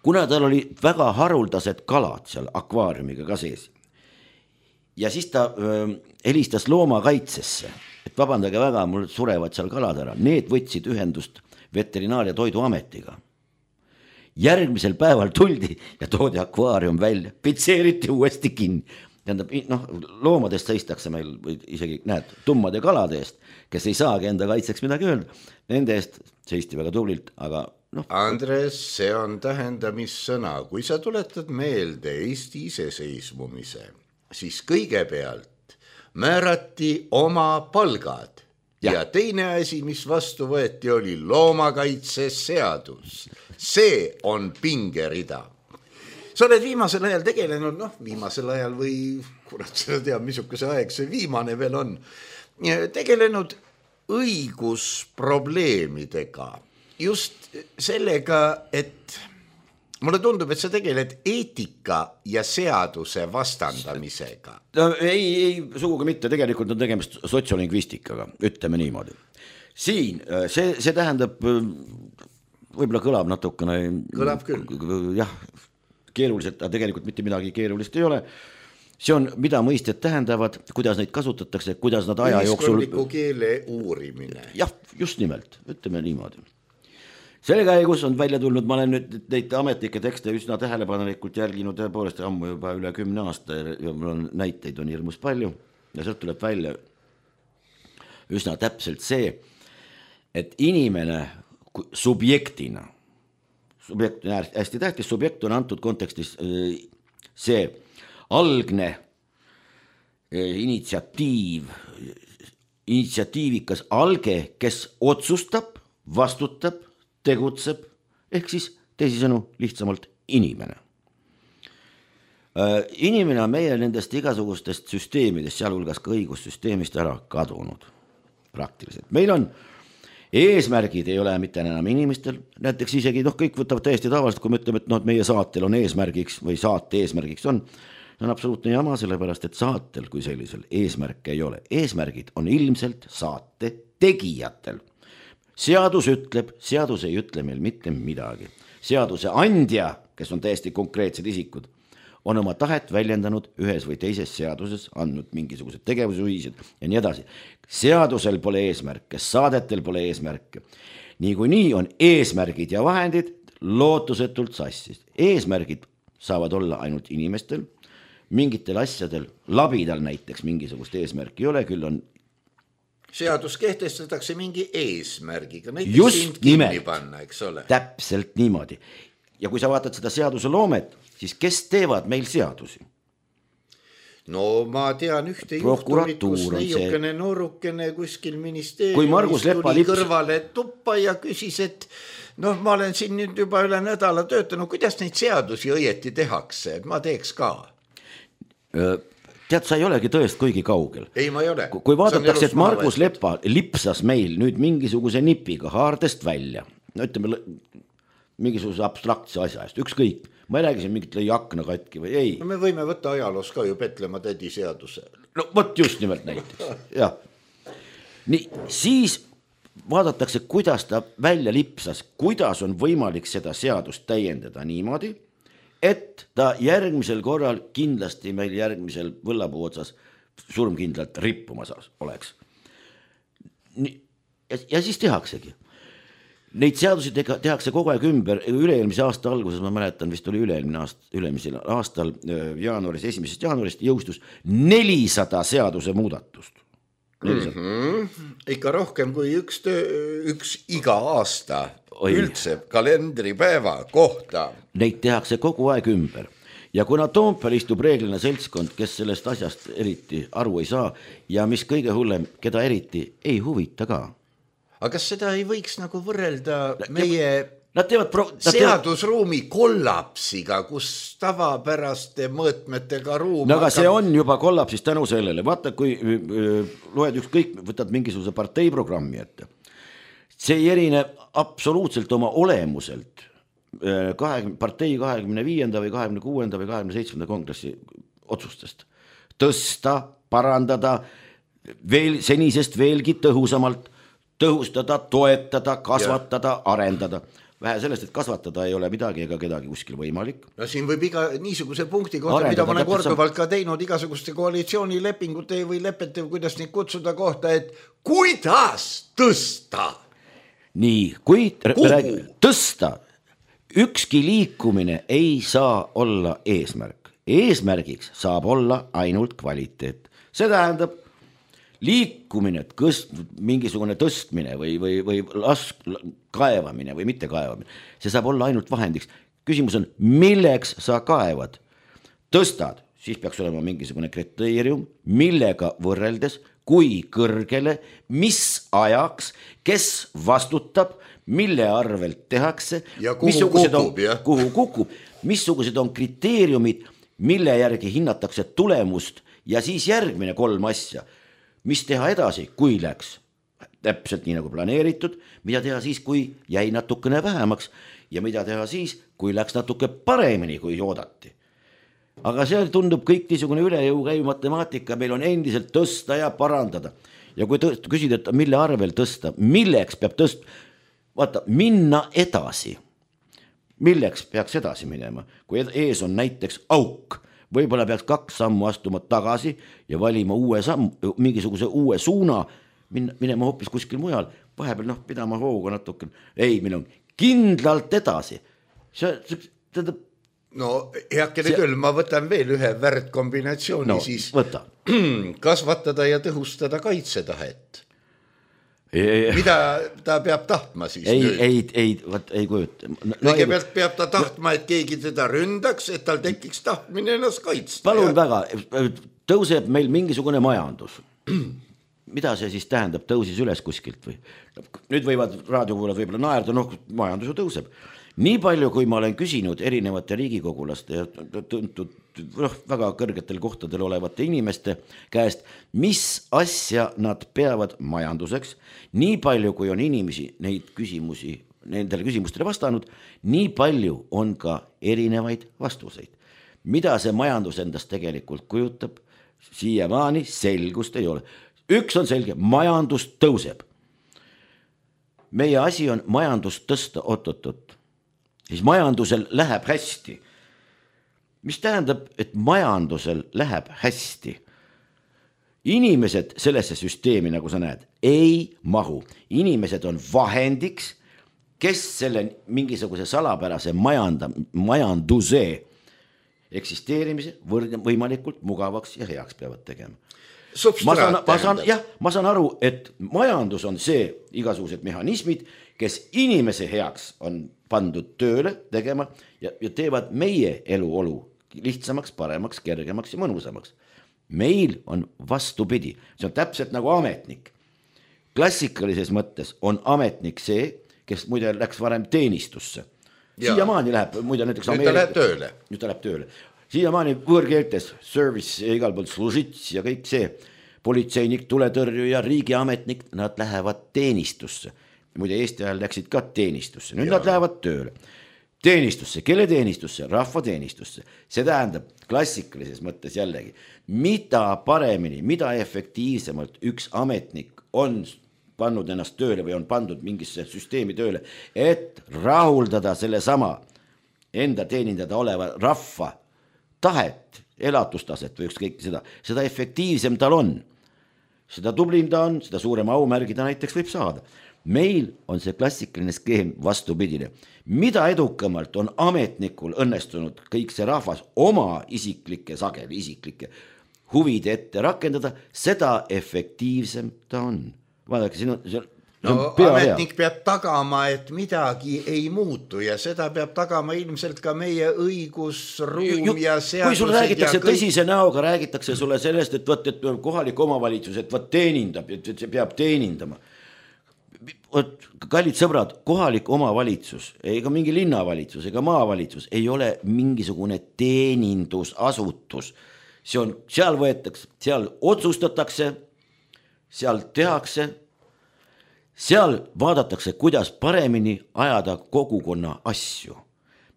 kuna tal oli väga haruldased kalad seal akvaariumiga ka sees. Ja siis ta helistas loomakaitsesse, et vabandage väga, mul surevad seal kalad ära. Need võtsid ühendust Veterinaar- ja Toiduametiga. Järgmisel päeval tuldi ja toodi akvaarium välja, pitseeriti uuesti kinni. Tähendab, loomadest seistakse meil isegi tummade kalade eest, kes ei saagi enda kaitseks midagi öelda. Nende eest seisti väga tublilt, aga Andres, see on tähendamissõna. Kui sa tuletad meelde Eesti iseseisvumise, siis kõigepealt määrati oma palgad. Ja teine asi, mis vastu võeti, oli loomakaitseseadus. See on pingerida. Sa oled viimasel ajal tegelenud, viimasel ajal või kurat seda teab, missuguse aeg see viimane veel on, tegelenud õigusprobleemidega. Just sellega, et mulle tundub, et sa tegeled eetika ja seaduse vastandamisega. Ei, sugugi mitte, tegelikult on tegemist sotsiolingvistikaga, ütleme niimoodi. Siin, see tähendab, võib-olla kõlab natukene. Kõlab küll. Jah, keeruliselt, aga tegelikult mitte midagi keerulist ei ole. See on, mida mõisted tähendavad, kuidas neid kasutatakse, kuidas nad aja jooksul... Ühiskondliku keele uurimine. Jah, just nimelt, ütleme niimoodi. Selle käigus on välja tulnud, ma olen nüüd neid ametlikke tekste üsna tähelepanelikult jälginud tõepoolest ammu juba üle 10 aasta ja mul on näiteid on hirmus palju ja sealt tuleb välja üsna täpselt see, et inimene subjektina, subjekt on hästi tähtis, subjekt on antud kontekstis see algne initsiatiivikas alge, kes otsustab, vastutab, tegutseb, ehk siis teisisõnu lihtsamalt inimene. Inimene on meie nendest igasugustest süsteemidest, sealhulgas ka õigussüsteemist ära kadunud praktiliselt. Meil on eesmärgid ei ole mitte enam inimestel, näiteks isegi kõik võtavad täiesti tavaliselt, kui me ütleme, et meie saatel on eesmärgiks või saate eesmärgiks on absoluutne jama, sellepärast, et saatel kui sellisel eesmärke ei ole. Eesmärgid on ilmselt saate tegijatel. Seadus ütleb, seadus ei ütle meil mitte midagi. Seaduse andja, kes on täiesti konkreetsed isikud, on oma tahet väljendanud ühes või teises seaduses, andnud mingisugused tegevusjuhised ja nii edasi. Seadusel pole eesmärke, saadetel pole eesmärke. Niikuinii on eesmärgid ja vahendid lootusetult sassis. Eesmärgid saavad olla ainult inimestel, mingitel asjadel, labidal näiteks mingisugust eesmärki ei ole, küll on seadus kehtestatakse mingi eesmärgiga, näiteks just sind kinni panna, eks ole. Täpselt niimoodi. Ja kui sa vaatad seda seaduse loomet, siis kes teevad meil seadusi? No ma tean ühte juhtumit, kus neiukene noorukene kuskil ministeeriumis tuli kõrvale tuppa ja küsis, et ma olen siin nüüd juba üle nädala töötanud, kuidas neid seadusi õieti tehakse, et ma teeks ka. Tead, sa ei olegi tõest kuigi kaugel. Ei, ma ei ole. Kui vaadatakse, et Margus Lepa lipsas meil nüüd mingisuguse nipiga haardest välja, ütleme mingisuguse abstraktse asja eest, ükskõik. Ma ei räägi siin mingit lõi akna katki või ei. No me võime võtta ajaloos ka ju Petlemma tädi seaduse. No võt just nimelt näiteks. Ja. Nii, siis vaadatakse, kuidas ta välja lipsas, kuidas on võimalik seda seadust täiendada niimoodi, et ta järgmisel korral kindlasti meil järgmisel võllapuu otsas surmkindlalt rippumas oleks. Ja siis tehaksegi. Neid seadusi tehakse kogu aeg ümber, üle-eelmise aasta alguses, ma mäletan, vist oli üle-eelmisel aastal jaanuaris, 1. jaanuarist jõustus 400 seaduse muudatust. Ikka rohkem kui üks iga aasta üldse kalendripäeva kohta. Neid tehakse kogu aeg ümber. Ja kuna Toompeal istub reeglina seltskond, kes sellest asjast eriti aru ei saa ja mis kõige hullem, keda eriti ei huvita ka. Aga kas seda ei võiks nagu võrrelda meie seadusruumi kollapsiga, kus tavapäraste mõõtmetega ruum... No aga see on juba kollapsis tänu sellele. Vaata, kui loed ükskõik, võtad mingisuguse parteiprogrammi ette. See ei erine absoluutselt oma olemuselt partei 25. või 26. või 27. kongressi otsustest. Tõsta, parandada, senisest veelgi tõhusamalt, tõhustada, toetada, kasvatada, arendada. Vähe sellest, et kasvatada ei ole midagi ega kedagi kuskil võimalik. No siin võib iga niisuguse punkti kohta, mida ma olen korduvalt ka teinud igasuguste koalitsioonilepingute või lepete, kuidas neid kutsuda kohta, et kuidas tõsta? Nii, kui tõsta, ükski liikumine ei saa olla eesmärk. Eesmärgiks saab olla ainult kvaliteet. See tähendab, liikumine, mingisugune tõstmine või kaevamine või mitte kaevamine, see saab olla ainult vahendiks. Küsimus on, milleks sa kaevad? Tõstad, siis peaks olema mingisugune kriteerium, millega võrreldes, kui kõrgele, mis ajaks, kes vastutab, mille arvelt tehakse ja kuhu kukub, missugused on kriteeriumid, mille järgi hinnatakse tulemust ja siis järgmine 3 asja. Mis teha edasi, kui läks täpselt nii nagu planeeritud, mida teha siis, kui jäi natukene vähemaks ja mida teha siis, kui läks natuke paremini, kui oodati. Aga see tundub kõik niisugune üle jõu käiv matemaatika, meil on endiselt tõsta ja parandada. Ja kui küsid, et mille arvel tõsta, milleks peab vaata, minna edasi. Milleks peaks edasi minema, kui ees on näiteks auk, võib-olla peaks 2 sammu astuma tagasi ja valima mingisuguse uue suuna, minema hoopis kuskil mujal, vahepeal pidama hooga natuke. Ei, meil on kindlalt edasi. No heakene küll, ma võtan veel ühe värdkombinatsiooni siis. Võta. Kasvatada ja tõhustada kaitsetahet. Mida ta peab tahtma siis nüüd? Ei kujuta. Kõigepealt peab ta tahtma, et keegi teda ründaks, et tal tekiks tahtmine ennast kaitsta. Palun väga, tõuseb meil mingisugune majandus. Mida see siis tähendab, tõusis üles kuskilt või? Nüüd võivad raadiokuulajad võib-olla naerda, majandus ju tõuseb. Nii palju, kui ma olen küsinud erinevate riigikogulaste ja tuntud väga kõrgetel kohtadel olevate inimeste käest, mis asja nad peavad majanduseks, nii palju, kui on inimesi nendele küsimustele vastanud, nii palju on ka erinevaid vastuseid. Mida see majandus endast tegelikult kujutab, siiamaani selgust ei ole. Üks on selge, majandus tõuseb. Meie asi on majandust tõsta oot. Siis majandusel läheb hästi. Mis tähendab, et majandusel läheb hästi? Inimesed sellesse süsteemi, nagu sa näed, ei mahu. Inimesed on vahendiks, kes selle mingisuguse salapärase majanduse eksisteerimise võimalikult mugavaks ja heaks peavad tegema. Ma saan aru, et majandus on see igasugused mehhanismid, kes inimese heaks on pandud tööle tegema ja teevad meie eluolu lihtsamaks, paremaks, kergemaks ja mõnusamaks. Meil on vastupidi, see on täpselt nagu ametnik. Klassikalises mõttes on ametnik see, kes muide läks varem teenistusse. Siiamaani läheb, muide näiteks Nüüd ta läheb tööle. Siiamaani võõrkeeltes, service ja igal pool služits ja kõik see, politseinik, tuletõrjuja, riigiametnik, nad lähevad teenistusse. Muide Eesti ajal läksid ka teenistusse, nüüd nad lähevad tööle. Teenistusse, kelle teenistusse? Rahva teenistusse. See tähendab klassikalises mõttes jällegi, mida paremini, mida efektiivsemalt üks ametnik on pannud ennast tööle või on pandud mingisse süsteemi tööle, et rahuldada selle sama enda teenindada oleva rahva tahet, elatustaset või ükskõik seda efektiivsem tal on. Seda tublim ta on, seda suurema aumärgi ta näiteks võib saada. Meil on see klassikaline skeem vastupidine. Mida edukamalt on ametnikul õnnestunud kõik see rahvas oma isiklikke huvide ette rakendada, seda efektiivsem ta on. Vaadake, siin on ametnik peab tagama, et midagi ei muutu ja seda peab tagama ilmselt ka meie õigusruum ja seadused. Kui sul räägitakse tõsise näoga, räägitakse sulle sellest, et kohalik omavalitsus, et teenindab, et see peab teenindama. Kallid sõbrad, kohalik omavalitsus, ega mingi linnavalitsus, ega maavalitsus ei ole mingisugune teenindusasutus. Seal võetakse, seal otsustatakse, seal tehakse, seal vaadatakse, kuidas paremini ajada kogukonna asju.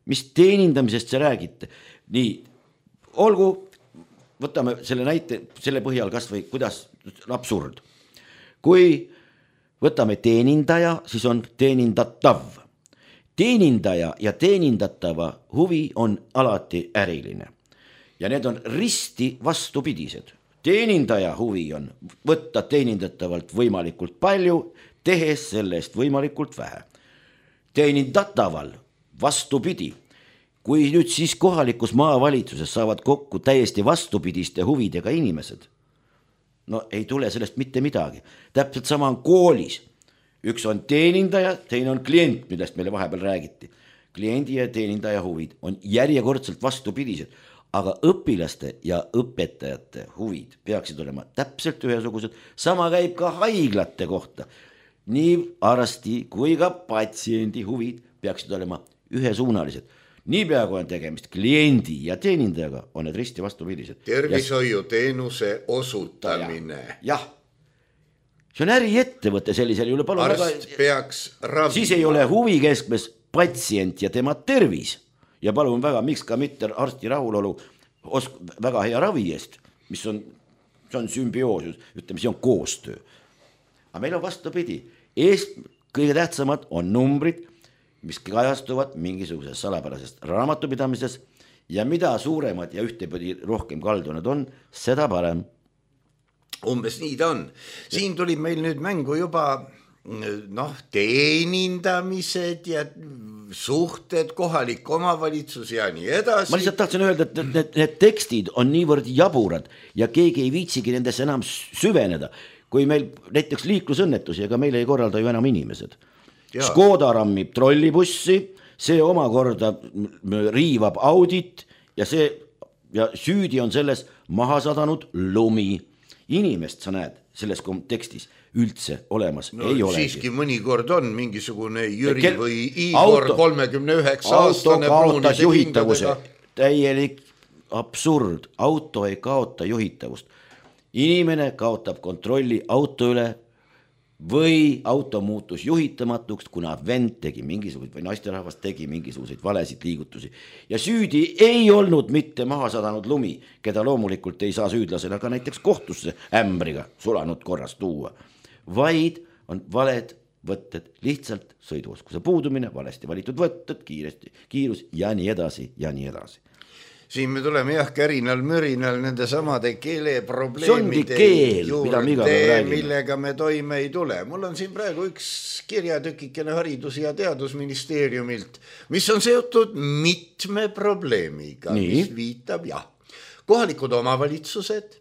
Mis teenindamisest see räägite? Nii, olgu, võtame selle näite, selle põhjal kas või kuidas absurd. Kui võtame teenindaja, siis on teenindatav. Teenindaja ja teenindatava huvi on alati äriline. Ja need on risti vastupidised. Teenindaja huvi on võtta teenindatavalt võimalikult palju, tehes sellest võimalikult vähe. Teenindataval vastupidi. Kui nüüd siis kohalikus maavalitsuses saavad kokku täiesti vastupidiste huvidega inimesed, no ei tule sellest mitte midagi. Täpselt sama on koolis. Üks on teenindaja, teine on klient, millest meile vahepeal räägiti. Kliendi ja teenindaja huvid on järjekordselt vastupidised, aga õpilaste ja õpetajate huvid peaksid olema täpselt ühesugused. Sama käib ka haiglate kohta. Nii arsti kui ka patsiendi huvid peaksid olema ühesuunalised. Niipea kui on tegemist kliendi ja teenindajaga, on need risti vastupidised. Tervishoiuteenuse osutamine. Jah. See on äriettevõte sellisel juhul. Arst peaks ravima. Siis ei ole huvi keskmes patsient ja tema tervis. Ja palun väga, miks ka mitte arsti rahulolu väga hea ravi eest, mis on sümbioosus, ütleme, see on koostöö. Aga meil on vastupidi. Kõige tähtsamad on numbrid, mis kajastuvad mingisuguses salapärasest raamatupidamises ja mida suuremad ja ühtepidi rohkem kaldunud on, seda parem. Umbes nii ta on. Siin tuli meil nüüd mängu juba teenindamised ja suhted, kohalik omavalitsus ja nii edasi. Ma lihtsalt tahtsin öelda, et need tekstid on niivõrd jaburad ja keegi ei viitsigi nendesse enam süveneda. Kui meil näiteks liiklusõnnetusi, ega meil ei korralda ju enam inimesed. Škoda rammib trollibussi, see omakorda riivab audit ja süüdi on selles maha sadanud lumi. Inimest sa näed selles tekstis üldse olemas ei ole. Siiski mõnikord on mingisugune Jüri või Igor 39-aastane kaotas juhitavuse. Täielik absurd. Auto ei kaota juhitavust. Inimene kaotab kontrolli auto üle või auto muutus juhitamatuks, kuna vend tegi mingisuguseid või naisterahvas tegi mingisuguseid valesid liigutusi. Ja süüdi ei olnud mitte maha sadanud lumi, keda loomulikult ei saa süüdlasena ka näiteks kohtusse ämbriga sulanud korras tuua, vaid on valed võtted, lihtsalt sõiduoskuse puudumine, valesti valitud võtted, kiirus ja nii edasi ja nii edasi. Siin me tuleme kärinal-mürinal nende samade keeleprobleemide juurde, millega me toime ei tule. Mul on siin praegu üks kirjatükikene Haridus- ja Teadusministeeriumilt, mis on seotud mitme probleemiga, mis viitab kohalikud omavalitsused,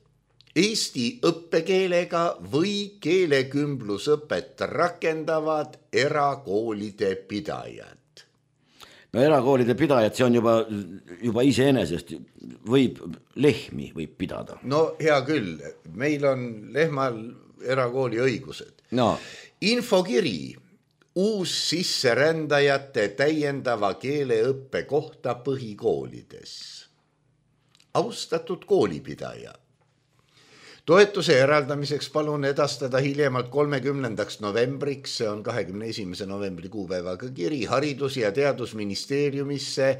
Eesti õppekeelega või keelekümblusõpet rakendavad erakoolide pidajad. No erakoolide pidajad, see on juba iseenesest, lehmi võib pidada. No hea küll, meil on lehmal erakooli õigused. No. Infokiri uus sisserändajate täiendava keeleõppe kohta põhikoolides. Austatud koolipidaja. Toetuse eraldamiseks palun edastada hiljemalt 30. novembriks, see on 21. novembri kuupäevaga kiri, Haridus- ja Teadusministeeriumisse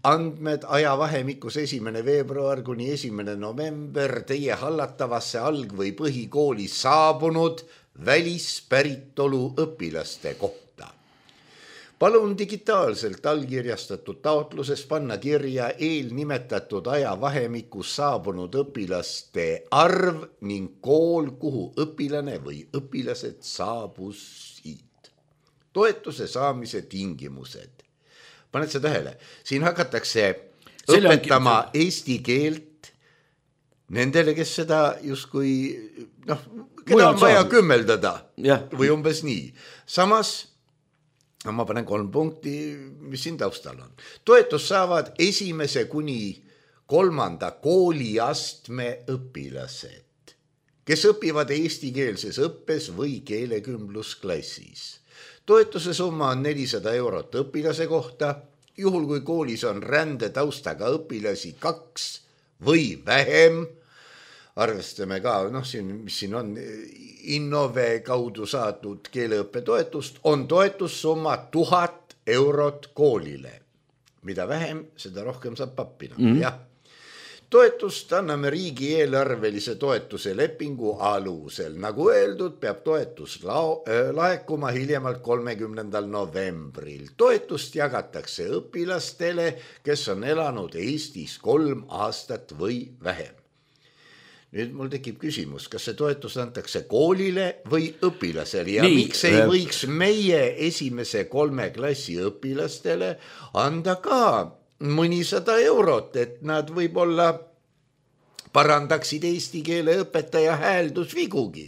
andmed ajavahemikus 1. veebruar kuni 1. november teie hallatavasse alg- või põhikooli saabunud välispäritolu õpilaste kohta. Palun digitaalselt allkirjastatud taotluses panna kirja eelnimetatud ajavahemikus saabunud õpilaste arv ning kool, kuhu õpilane või õpilased saabusid. Toetuse saamise tingimused. Paned sa tähele? Siin hakatakse õpetama eesti keelt nendele, kes seda justkui, keda on vaja kümmeldada või umbes nii. Samas ma panen 3 punkti, mis siin taustal on. Toetus saavad 1. kuni 3. kooliastme õpilased, kes õpivad eestikeelses õppes või keelekümblusklassis. Toetuse summa on 400 eurot õpilase kohta, juhul kui koolis on rändetaustaga õpilasi 2 või vähem. Arvestame ka, mis siin on, Innove kaudu saadud keeleõppetoetust, on toetussumma 1000 eurot koolile. Mida vähem, seda rohkem saab pappina. Jah. Toetust anname riigieelarvelise toetuse lepingu alusel. Nagu öeldud, peab toetus laekuma hiljemalt 30. novembril. Toetust jagatakse õpilastele, kes on elanud Eestis 3 aastat või vähem. Nüüd mul tekib küsimus, kas see toetus antakse koolile või õpilasele ja miks ei võiks meie 1. 3 klassi õpilastele anda ka mõnisada eurot, et nad võib-olla parandaksid eesti keele õpetaja hääldusvigugi.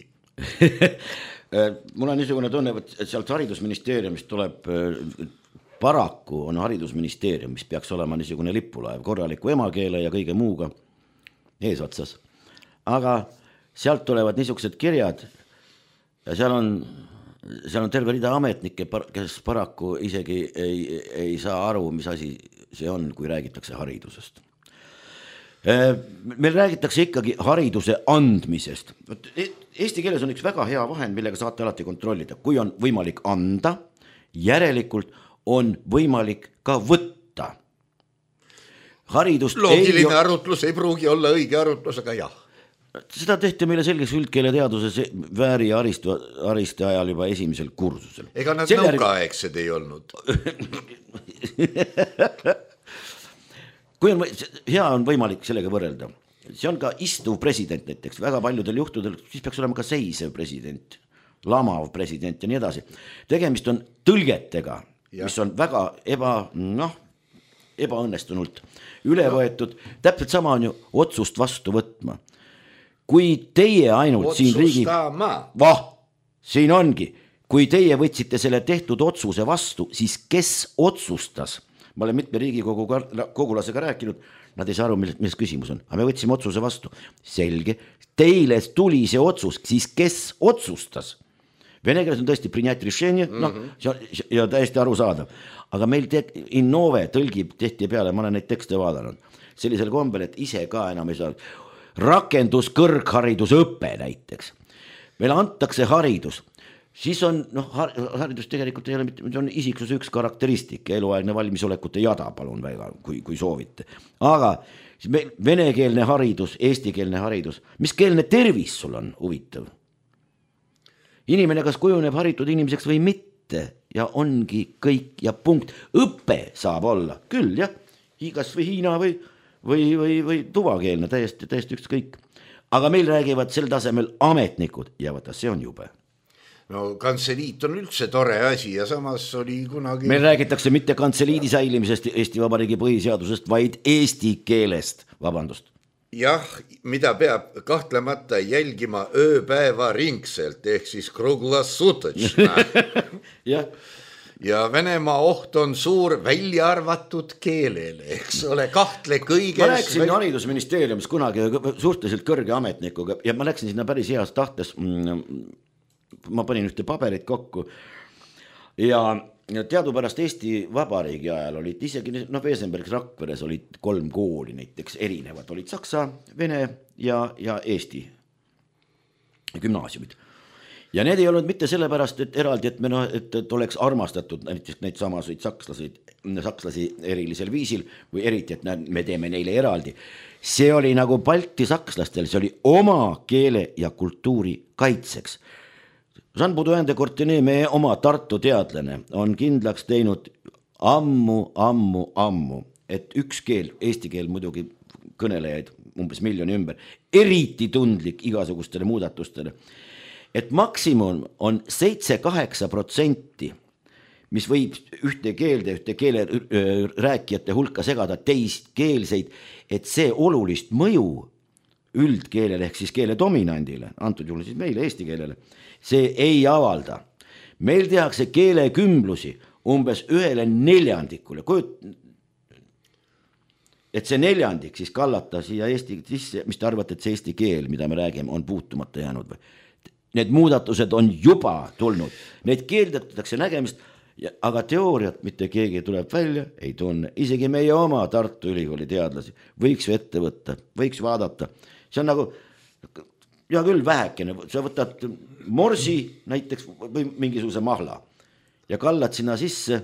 Mul on niisugune tunne, et sealt haridusministeeriumist tuleb, paraku on haridusministeerium, mis peaks olema niisugune lipulaev, korraliku emakeele ja kõige muuga eesotsas. Aga sealt tulevad niisugused kirjad ja seal on terve rida ametnikke, kes paraku isegi ei saa aru, mis asi see on, kui räägitakse haridusest. Meil räägitakse ikkagi hariduse andmisest. Eesti keeles on üks väga hea vahend, millega saate alati kontrollida. Kui on võimalik anda, järelikult on võimalik ka võtta. Loogiline arutlus ei pruugi olla õige arutlus, aga jah. Seda tehti meile selgeks üldkeele teaduses Vääri ja Ariste ajal juba 1. kursusel. Ega nad nõukaaegsed ei olnud. Kui hea on võimalik sellega võrrelda. See on ka istuv president näiteks, väga paljudel juhtudel, siis peaks olema ka seisev president, lamav president ja nii edasi. Tegemist on tõlgetega, mis on väga ebaõnnestunult üle võetud. Täpselt sama on ju otsust vastu võtma. Kui teie ainult siin siin ongi, kui teie võtsite selle tehtud otsuse vastu, siis kes otsustas? Ma olen mitme Riigikogu kogulasega rääkinud, nad ei saa aru, milles küsimus on, aga me võtsime otsuse vastu. Selge, teile tuli see otsus, siis kes otsustas? Vene keeles on tõesti принять решение, ja täiesti aru saada. Aga meil Innove tõlgib tehti peale, ma olen neid tekste vaadanud, sellisel kombel, et ise ka enam ei saa. Rakendus kõrgharidusõppe näiteks. Meil antakse haridus. Siis on, haridus tegelikult ei ole mitte, on isiksuse üks karakteristik, eluaegne valmisolekute jada, palun väga, kui soovite. Aga venekeelne haridus, eestikeelne haridus, mis keelne tervis sul on huvitav? Inimene kas kujuneb haritud inimeseks või mitte ja ongi kõik ja punkt. Õppe saab olla, küll jah, kas või Hiina või tuvakeelne, täiesti ükskõik. Aga meil räägivad sel tasemel ametnikud ja vaata, see on jube. No kantseliit on üldse tore asi ja samas oli kunagi... Meil räägitakse mitte kantseliidi säilimisest Eesti Vabariigi põhiseadusest, vaid eesti keelest, vabandust. Jah, mida peab kahtlemata jälgima ööpäeva ringselt, ehk siis kruglasutočna. Jah. Ja Venemaa oht on suur välja arvatud keelele, eks ole, kahtle kõiges. Ma läksin haridusministeeriumis kunagi suhteliselt kõrge ametnikuga ja ma läksin sinna päris heas tahtes, ma panin ühte paberit kokku ja teadupärast Eesti Vabariigi ajal olid isegi, Vesenbergs Rakveres olid 3 kooli näiteks erinevad, olid saksa, vene ja Eesti gümnaasiumid. Ja need ei olnud mitte sellepärast, et eraldi, et oleks armastatud näiteks neid samasid sakslasi erilisel viisil või eriti, et me teeme neile eraldi. See oli nagu Balti sakslastel, see oli oma keele ja kultuuri kaitseks. Jean Baudouin de Courtenay, meie oma Tartu teadlane, on kindlaks teinud ammu, et üks keel, eesti keel muidugi kõnelejaid umbes miljoni ümber, eriti tundlik igasugustele muudatustele, et maksimum on 7-8%, mis võib ühte keele rääkijate hulka segada teistkeelseid, et see olulist mõju üldkeelele ehk siis keele dominandile, antud juhul siis meile eesti keelele, see ei avalda. Meil tehakse keelekümblusi umbes 1/4, et see 4 siis kallata siia eesti sisse, mis te arvate, et see eesti keel, mida me räägime, on puutumata jäänud või? Need muudatused on juba tulnud, neid keeldatakse nägemist, aga teooriat mitte keegi tuleb välja, ei tunne, isegi meie oma Tartu Ülikooli teadlasi võiks ju ette võtta, võiks vaadata, see on nagu, ja küll vähekene, sa võtad morsi näiteks või mingisuguse mahla ja kallad sinna sisse,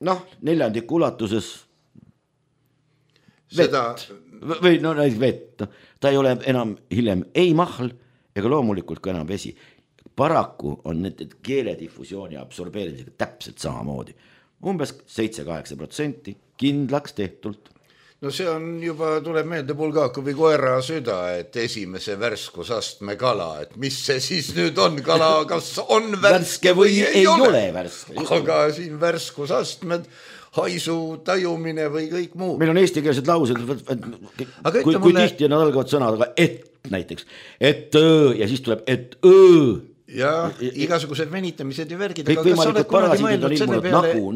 1/4 ulatuses vett või vett, ta ei ole enam hiljem ei mahl ega loomulikult ka enam vesi. Paraku on need keeledifusiooni absorbeerimisega täpselt samamoodi. Umbes 7-8% kindlaks tehtult. No see on juba, tuleb meelde Bulgakovi koera süda, et esimese värskusastme kala, et mis see siis nüüd on kala, kas on värske või ei ole värske. Aga siin värskusastmed, haisu tajumine või kõik muu. Meil on eestikeelsed laused, kui tihti nad algavad sõnadega et näiteks, et ja siis tuleb et ja igasugused venitamised ja värgid. Kõik võimalikud parasiidid on ilmunud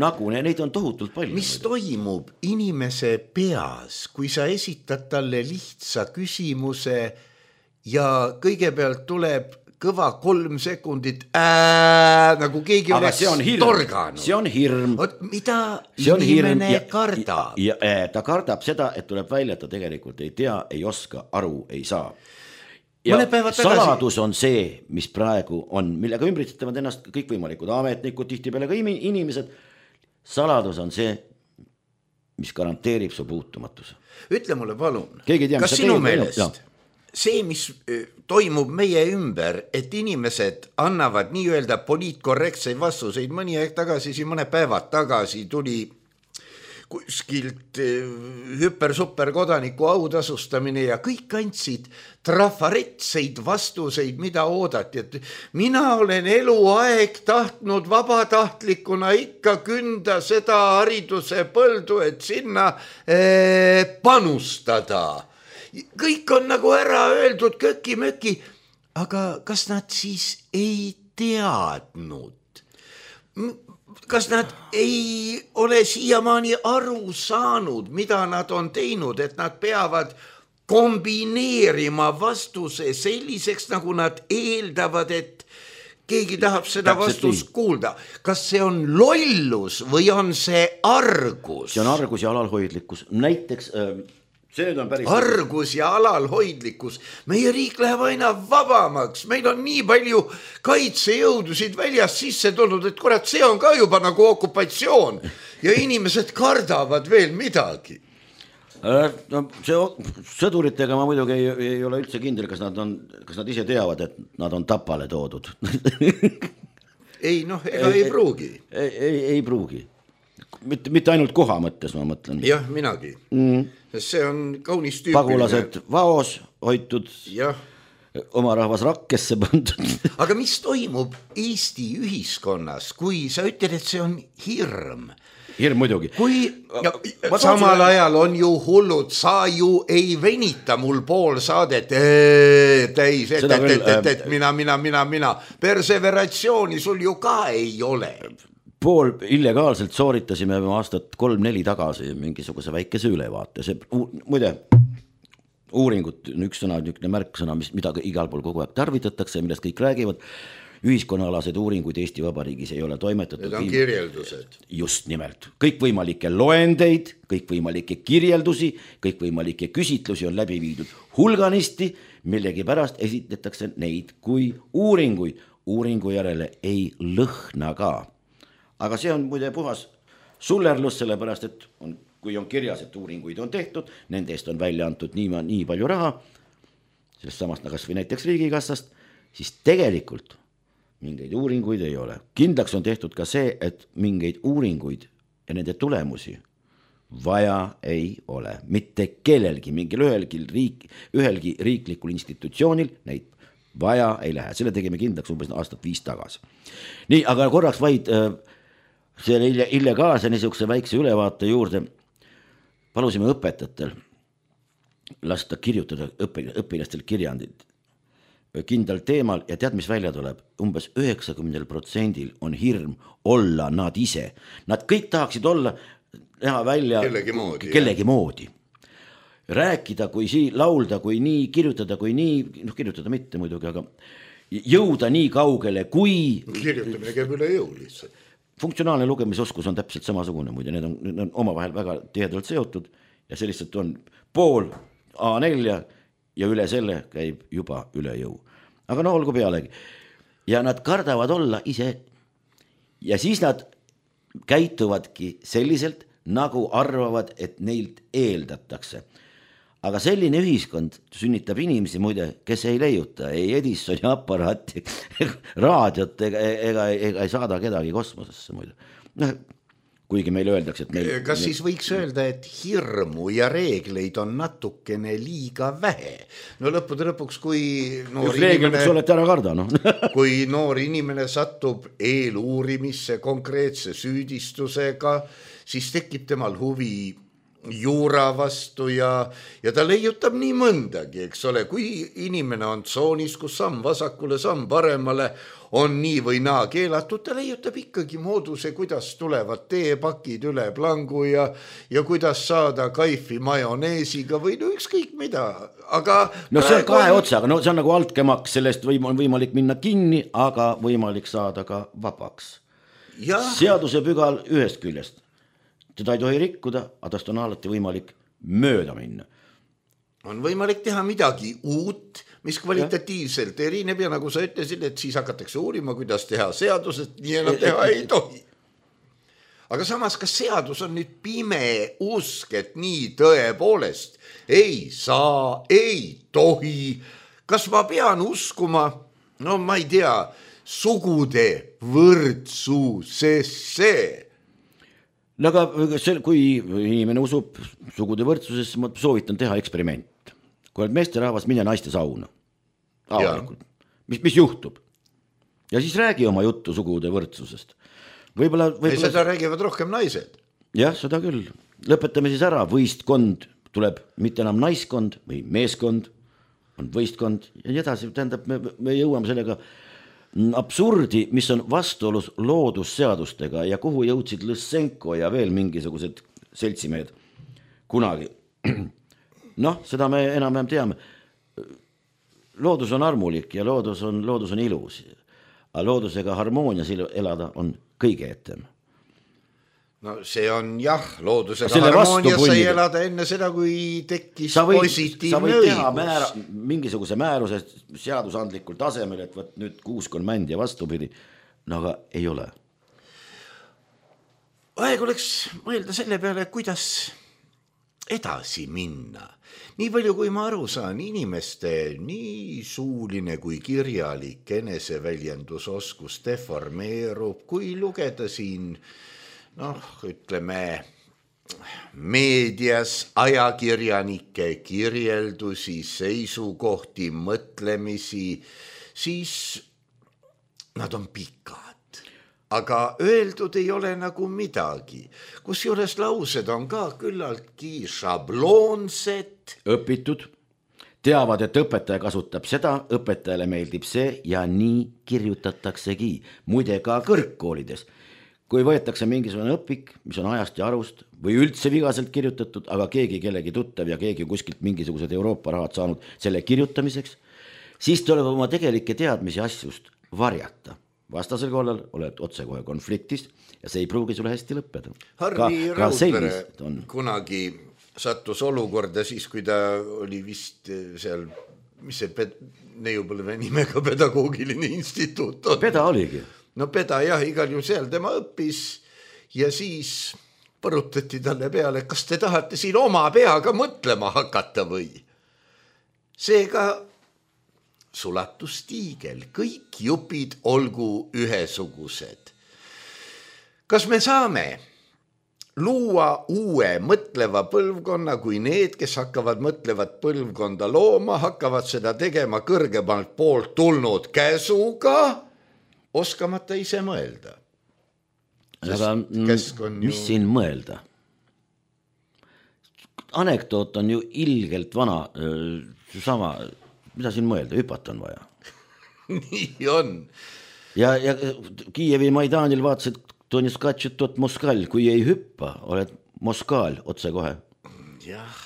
nagu, neid on tohutult palju. Mis toimub inimese peas, kui sa esitad talle lihtsa küsimuse ja kõigepealt tuleb kõva 3 sekundit nagu keegi oleks torganud. See on hirm. Mida inimene kardab? Ta kardab seda, et tuleb välja, et ta tegelikult ei tea, ei oska, aru, ei saa. Ja saladus on see, mis praegu on, millega ümbritsetavad ennast kõikvõimalikud ametnikud, tihtipeale ka inimesed. Saladus on see, mis garanteerib su puutumatuse. Ütle mulle palun, kas sinu meelest see, mis toimub meie ümber, et inimesed annavad nii-öelda poliitkorrektseid vastuseid, mõni aeg tagasi, mõne päevad tagasi tuli kuskilt hüper-super kodaniku autasustamine ja kõik andsid trafaretseid vastuseid, mida oodati, et mina olen eluaeg tahtnud vabatahtlikuna ikka künda seda hariduse põldu, et sinna panustada. Kõik on nagu ära öeldud köki-möki, aga kas nad siis ei teadnud? Kas nad ei ole siiamaani aru saanud, mida nad on teinud, et nad peavad kombineerima vastuse selliseks, nagu nad eeldavad, et keegi tahab seda vastust kuulda. Kas see on lollus või on see argus? See on argus ja alalhoidlikkus. Näiteks argus ja alalhoidlikkus. Meie riik läheb aina vabamaks. Meil on nii palju kaitsejõudusid väljast sisse tulnud, et kurat, see on ka juba nagu okupatsioon ja inimesed kardavad veel midagi. Sõduritega ma muidugi ei ole üldse kindel, kas nad ise teavad, et nad on tapale toodud. Ei, ei pruugi. Ei pruugi. Mitte ainult koha mõttes, ma mõtlen. Jah, minagi. See on kaunis tüüpiline. Pagulased vaos hoitud, oma rahvas rakkesse pandud. Aga mis toimub Eesti ühiskonnas, kui sa ütled, et see on hirm? Hirm muidugi. Samal ajal on ju hullud, sa ju ei venita mul pool saadet täis, et mina. Perseveratsiooni sul ju ka ei ole. Pool illegaalselt sooritasime aastat 3-4 tagasi mingisuguse väikese ülevaate. See, muide, uuringut on üks sõna, niisugune märksõna, mida igal pool kogu aeg tarvitatakse, millest kõik räägivad. Ühiskonnaalased uuringuid Eesti Vabariigis ei ole toimetatud. Need on kirjeldused. Just nimelt. Kõikvõimalikke loendeid, kõikvõimalikke kirjeldusi, kõikvõimalikke küsitlusi on läbi viidud hulganisti, millegi pärast esitletakse neid kui uuringuid. Uuringu järele ei lõhna ka. Aga see on muide puhas sullerlus, sellepärast, et kui on kirjas, et uuringuid on tehtud, nende eest on välja antud nii palju raha, sellest samast kas või näiteks riigikassast, siis tegelikult mingeid uuringuid ei ole. Kindlaks on tehtud ka see, et mingeid uuringuid ja nende tulemusi vaja ei ole. Mitte kellelgi, ühelgi riiklikul institutsioonil neid vaja ei lähe. Selle tegime kindlaks umbes aastat 5 tagasi. Nii, aga korraks vaid selle illegaalse niisuguse väikse ülevaate juurde palusime õpetajatel lasta kirjutada õpilastel kirjandid kindlal teemal ja tead, mis välja tuleb? Umbes 90% on hirm olla nad ise. Nad kõik tahaksid olla, näha välja kellegi moodi. Rääkida, kui laulda, kui nii, kirjutada, kui nii, kirjutada mitte muidugi, aga jõuda nii kaugele, kui... Kirjutamine käib üle jõu lihtsalt. Funktsionaalne lugemisoskus on täpselt samasugune muide, need on omavahel väga tihedalt seotud ja see lihtsalt on pool A4 ja üle selle käib juba üle jõu. Aga no olgu pealegi. Ja nad kardavad olla ise ja siis nad käituvadki selliselt, nagu arvavad, et neilt eeldatakse. Aga selline ühiskond sünnitab inimesi muide, kes ei leiuta, ei Edisoni aparaati, raadiot ega ei saada kedagi kosmosesse muide. Kuigi meile öeldakse, et meil... Kas siis võiks öelda, et hirmu ja reegleid on natukene liiga vähe? No lõpuks, kui kui noor inimene satub eeluurimisse konkreetse süüdistusega, siis tekib temal huvi juura vastu ja ta leiutab nii mõndagi, eks ole, kui inimene on tsoonis, kus samm vasakule, samm paremale on nii või naa keelatud, ta leiutab ikkagi mooduse, kuidas tulevad teepakid üle plangu ja kuidas saada kaifi majoneesiga või no ükskõik mida, aga... No see on kahe otsaga, no see on nagu altkämaks, sellest on võimalik minna kinni, aga võimalik saada ka vabaks. Seaduse pügal ühest küljest. Teda ei tohi rikkuda, aga tast on alati võimalik mööda minna. On võimalik teha midagi uut, mis kvalitatiivselt erineb ja nagu sa ütlesid, et siis hakatakse uurima, kuidas teha seadused, nii enam teha ei tohi. Aga samas, kas seadus on nüüd pime usk, et nii tõepoolest ei saa, ei tohi? Kas ma pean uskuma, no ma ei tea, sugude võrdsusesse? No aga kui inimene usub sugude võrdsusesse, ma soovitan teha eksperiment. Kui oled meesterahvas, mine naiste sauna. Mis juhtub? Ja siis räägi oma juttu sugude võrdsusest. Võib-olla... Seda räägivad rohkem naised. Jah, seda küll. Lõpetame siis ära. Võistkond tuleb mitte enam naiskond või meeskond, on võistkond ja nii edasi. Tähendab, me jõuame sellega absurdi, mis on vastuolus loodusseadustega ja kuhu jõudsid Lõssenko ja veel mingisugused seltsimehed kunagi. Noh, seda me enam teame. Loodus on armulik ja loodus on ilus. Aga loodusega harmoonias elada on kõige etem. No see on jah, loodusega harmoonias sai elada enne seda, kui tekkis positiivne õigus. Sa võid teha mingisuguse määruse seadusandlikul tasemel, et võt nüüd 6 on mänd ja vastupidi. No aga ei ole. Aeg oleks mõelda selle peale, kuidas edasi minna. Nii palju, kui ma aru saan, inimeste nii suuline kui kirjalik eneseväljendusoskus deformeerub, kui lugeda siin ütleme meedias ajakirjanike kirjeldusi, seisukohti, mõtlemisi, siis nad on pikad. Aga öeldud ei ole nagu midagi. Kusjuures laused on ka küllaltki šabloonsed. Õpitud. Teavad, et õpetaja kasutab seda, õpetajale meeldib see ja nii kirjutataksegi. Muide ka kõrgkoolides. Kui võetakse mingisugune õpik, mis on ajast ja arust või üldse vigaselt kirjutatud, aga keegi kellegi tuttav ja keegi kuskilt mingisugused Euroopa rahad saanud selle kirjutamiseks, siis tuleb oma tegelikke teadmisi asjust varjata. Vastasel korral oled otsekohe konfliktis ja see ei pruugi sulle hästi lõppeda. Harri Raudpere kunagi sattus olukorda siis, kui ta oli vist seal, mis see Neiupõlve nimega pedagoogiline instituut on. Peda oligi. No Peda jah, igal juhul seal tema õppis ja siis põrutati talle peale, kas te tahate siin oma peaga mõtlema hakata või? Seega sulatustiigel, kõik jupid olgu ühesugused. Kas me saame luua uue mõtleva põlvkonna, kui need, kes hakkavad mõtlevat põlvkonda looma, hakkavad seda tegema kõrgemalt poolt tulnud käsuga, oskamata ise mõelda? Aga mis siin mõelda? Anekdoot on ju ilgelt vana, sama, mida siin mõelda, hüpata on vaja. Nii on. Ja Kiievi Maidanil vaatasid, to on skatšut tot Moskal, kui ei hüppa, oled Moskal otse kohe. Jah,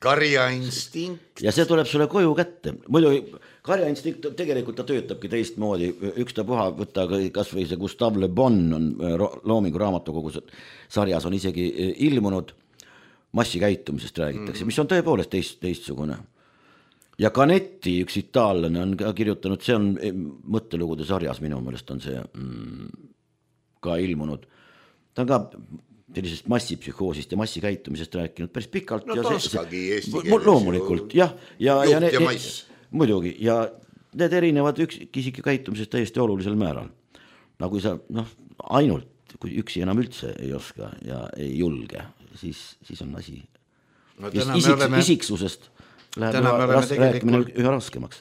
karjainstinkt. Ja see tuleb sulle koju kätte. Muidu karjainstinkt tegelikult ta töötabki teistmoodi. Ükstapuha võtta kas või see Gustave Le Bon on Loomingu raamatukogus sarjas on isegi ilmunud. Massikäitumisest räägitakse, mis on tõepoolest teistsugune. Ja Canetti, üks itaallane, on ka kirjutanud, see on mõttelugude sarjas, minu meelest on see ka ilmunud. Ta on ka sellisest massipsühhoosist ja massikäitumisest rääkinud päris pikalt. No toskagi eesti keeles. Loomulikult, jah. Juht ja mass. Muidugi, ja need erinevad üksikisiku käitumisest täiesti olulisel määral. Nagu sa, ainult, kui üksi enam üldse ei oska ja ei julge, siis on asi. Isiksusest läheb rääkimine üha raskemaks.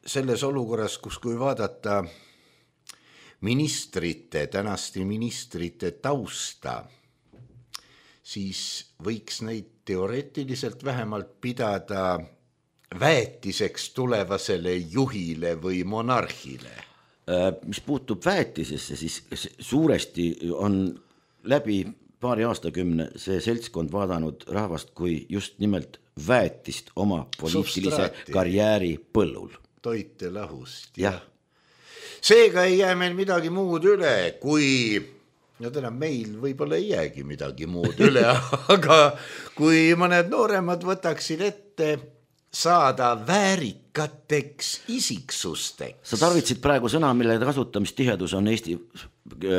Selles olukorras, kus kui vaadata tänaste ministrite tausta, siis võiks neid teoreetiliselt vähemalt pidada väetiseks tulevasele juhile või monarhile. Mis puutub väetisesse, siis suuresti on läbi paari aastakümne see seltskond vaadanud rahvast kui just nimelt väetist oma poliitilise karjääri põllul. Toite lahust. Jah. Seega ei jää meil midagi muud üle, kui meil võib-olla ei jäägi midagi muud üle, aga kui mõned nooremad võtaksid ette saada väärikateks isiksusteks. Sa tarvitsid praegu sõna, mille kasutamistihedus on Eesti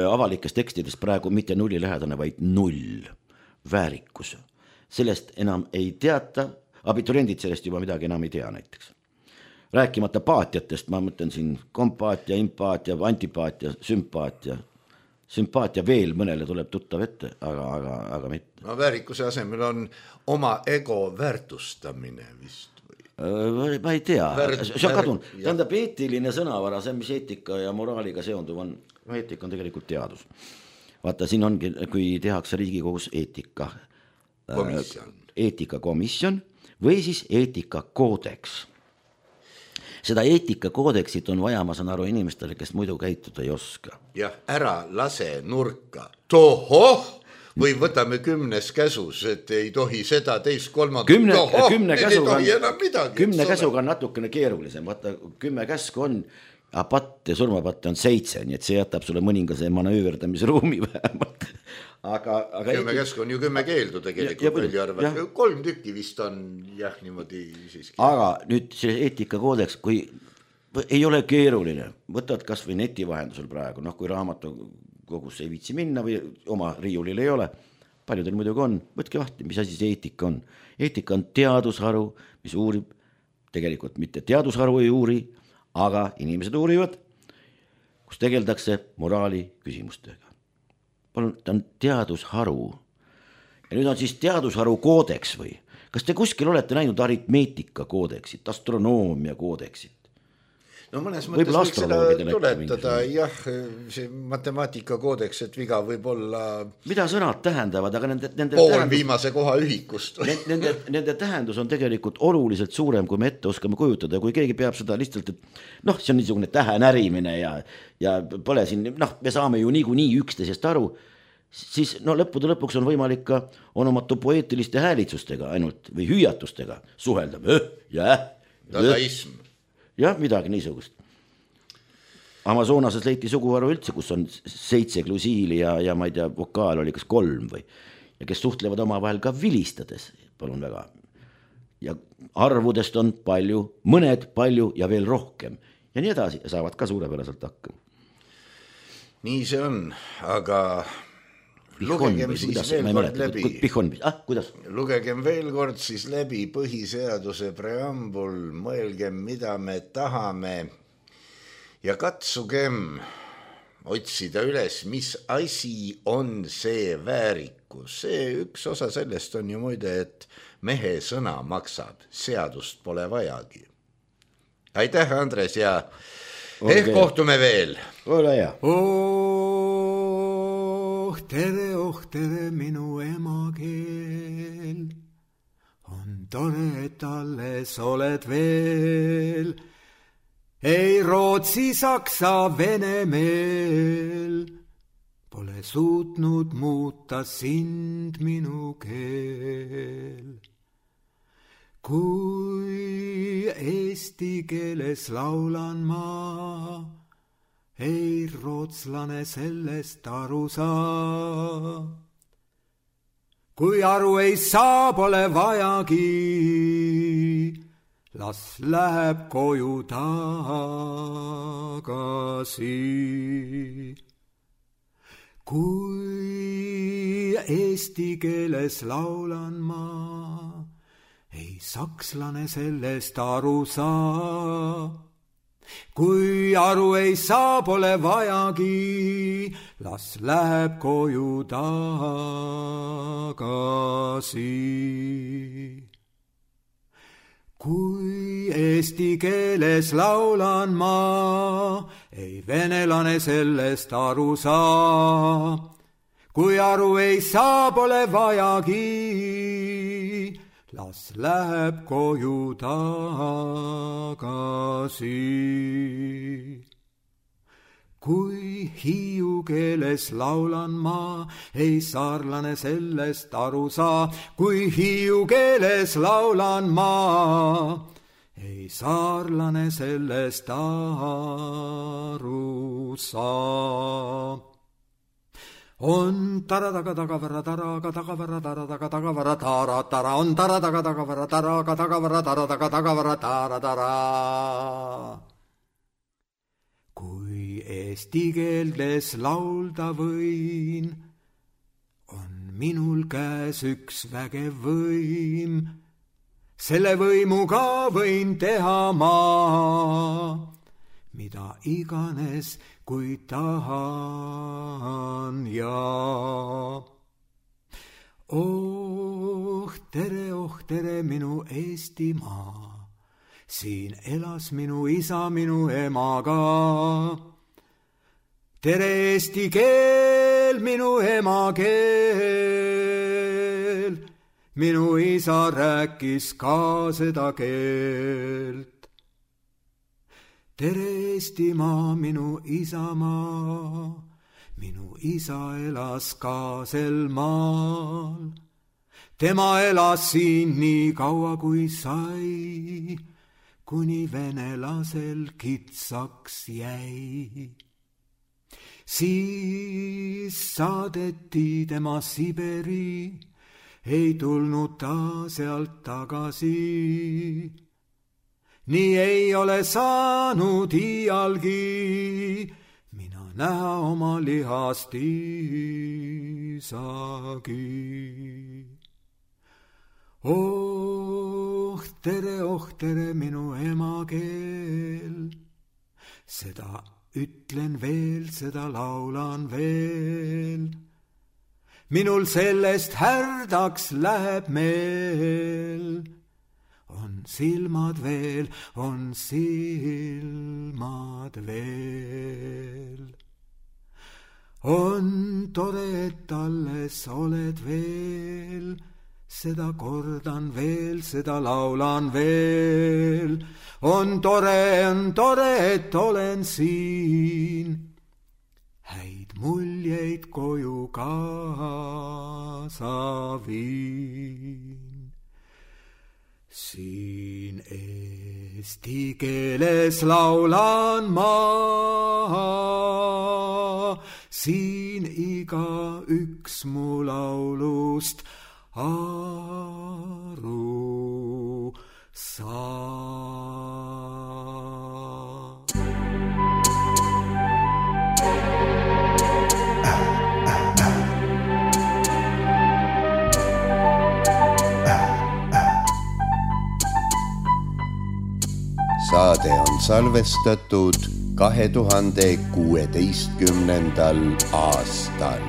avalikes tekstides praegu mitte nullilähedane, vaid 0. Väärikus. Sellest enam ei teata, abituriendid sellest juba midagi enam ei tea näiteks. Rääkimata paatiatest, ma mõtlen siin kompaatia, impaatia, antipaatia, sümpaatia. Sümpaatia veel mõnele tuleb tuttav ette, aga mitte. No väärikuse asemel on oma ego väärtustamine vist. Ma ei tea, see on kadunud. Tähendab eetiline sõnavara, see mis eetika ja moraaliga seonduv on, eetika on tegelikult teadus. Vaata, siin ongi, kui tehakse Riigikogus eetikakomisjon või siis eetikakoodeks. Seda eetikakoodeksit on vaja, ma saan aru, inimestele, kes muidu käituda ei oska. Jah, ära lase nurka. Tohoh! Või võtame 10 käsus, et ei tohi seda teist kolmandat. 10 käsuga on natukene keerulisem. Vaata, 10 käsku on, aga patte, surmapatte on 7, nii et see jätab sulle mõningase manööverdamisruumi vähemalt. 10 käsku on ju 10 keeldu tegelikult. 3 tükki vist on jah niimoodi siiski. Aga nüüd see eetikakoodeks, kui ei ole keeruline, võtad kas või neti vahendusel praegu, kui raamatukogus ei viitsi minna või oma riiulil ei ole, paljudel muidugi on, võtke vahti, mis asi see eetika on. Eetika on teadusharu, mis uurib, tegelikult mitte teadusharu ei uuri, aga inimesed uurivad, kus tegeldakse moraali küsimustega. Palun, ta on teadusharu. Ja nüüd on siis teadusharu koodeks või? Kas te kuskil olete näinud aritmeetika koodeksit, astronoomia koodeksit? No mõnes mõttes võiks seda tuletada, jah, see matemaatika koodeks, et viga võib olla mida sõnad tähendavad, aga nende viimase koha ühikust. Nende tähendus on tegelikult oluliselt suurem, kui me ette oskame kujutada, kui keegi peab seda lihtsalt, et see on niisugune tähenärimine ja pole siin, me saame ju nii üksteisest aru, siis lõppude lõpuks on võimalik ka onomatu poeetiliste häälitsustega ainult või hüüatustega suhelda. Dadaism. Jah, midagi niisugust. Amazonases leiti suguharu üldse, kus on 7 klusiili ja ma ei tea, vokaal oli kas 3 või. Ja kes suhtlevad oma vahel ka vilistades, palun väga. Ja arvudest on palju, mõned palju ja veel rohkem. Ja nii edasi, saavad ka suurepäraselt hakkama. Nii see on, aga lugegem siis veel kord läbi. Kuidas? Lugegem veel kord siis läbi põhiseaduse preambul, mõelgem, mida me tahame ja katsugem otsida üles, mis asi on see väärikus. See üks osa sellest on ju muide, et mehe sõna maksab, seadust pole vajagi. Aitäh, Andres, ja ehk kohtume veel. Ole hea. Tere, minu emakeel. On tore, et alles oled veel. Ei Rootsi, Saksa, Vene meel. Pole suutnud muuta sind minu keel. Kui eesti keeles laulan ma, ei rootslane sellest aru saa. Kui aru ei saa, pole vajagi, las läheb koju tagasi. Kui eesti keeles laulan ma, ei sakslane sellest aru saa. Kui aru ei saa, pole vajagi, las läheb koju tagasi. Kui eesti keeles laulan ma, ei venelane sellest aru saa. Kui aru ei saa, pole vajagi, las läheb koju tagasi. Kui hiiu keeles laulan ma, ei saarlane sellest aru saa. Kui hiiu keeles laulan ma, ei saarlane sellest aru saa. On taradaga tagavara taraga tagavara taradaga tagavara tara tara. On taradaga tagavara taraga tagavara taradaga tagavara tara tara. Kui eesti keeldes laulda võin, on minul käes üks vägev võim. Selle võimuga võin teha ma, mida iganes, kui tahan ja. Oh tere, minu Eestimaa. Siin elas minu isa minu emaga. Tere eesti keel, minu emakeel. Minu isa rääkis ka seda keelt. Tere Eestimaa, minu isamaa. Minu isa elas ka sel maal. Tema elas siin nii kaua kui sai, kuni venelasel kitsaks jäi. Siis saadeti tema Siberi, ei tulnud ta sealt tagasi. Nii ei ole saanud iialgi mina näha oma lihast isagi. Oh tere, minu emakeel. Seda ütlen veel, seda laulan veel. Minul sellest härdaks läheb meel. On silmad veel, on silmad veel. On tore, et alles oled veel. Seda kordan veel, seda laulan veel. On tore, et olen siin. Häid muljeid koju kaasa viin. Siin eesti keeles laulan ma. Siin iga üks mu laulust aru saa. saade on salvestatud 2016. aastal.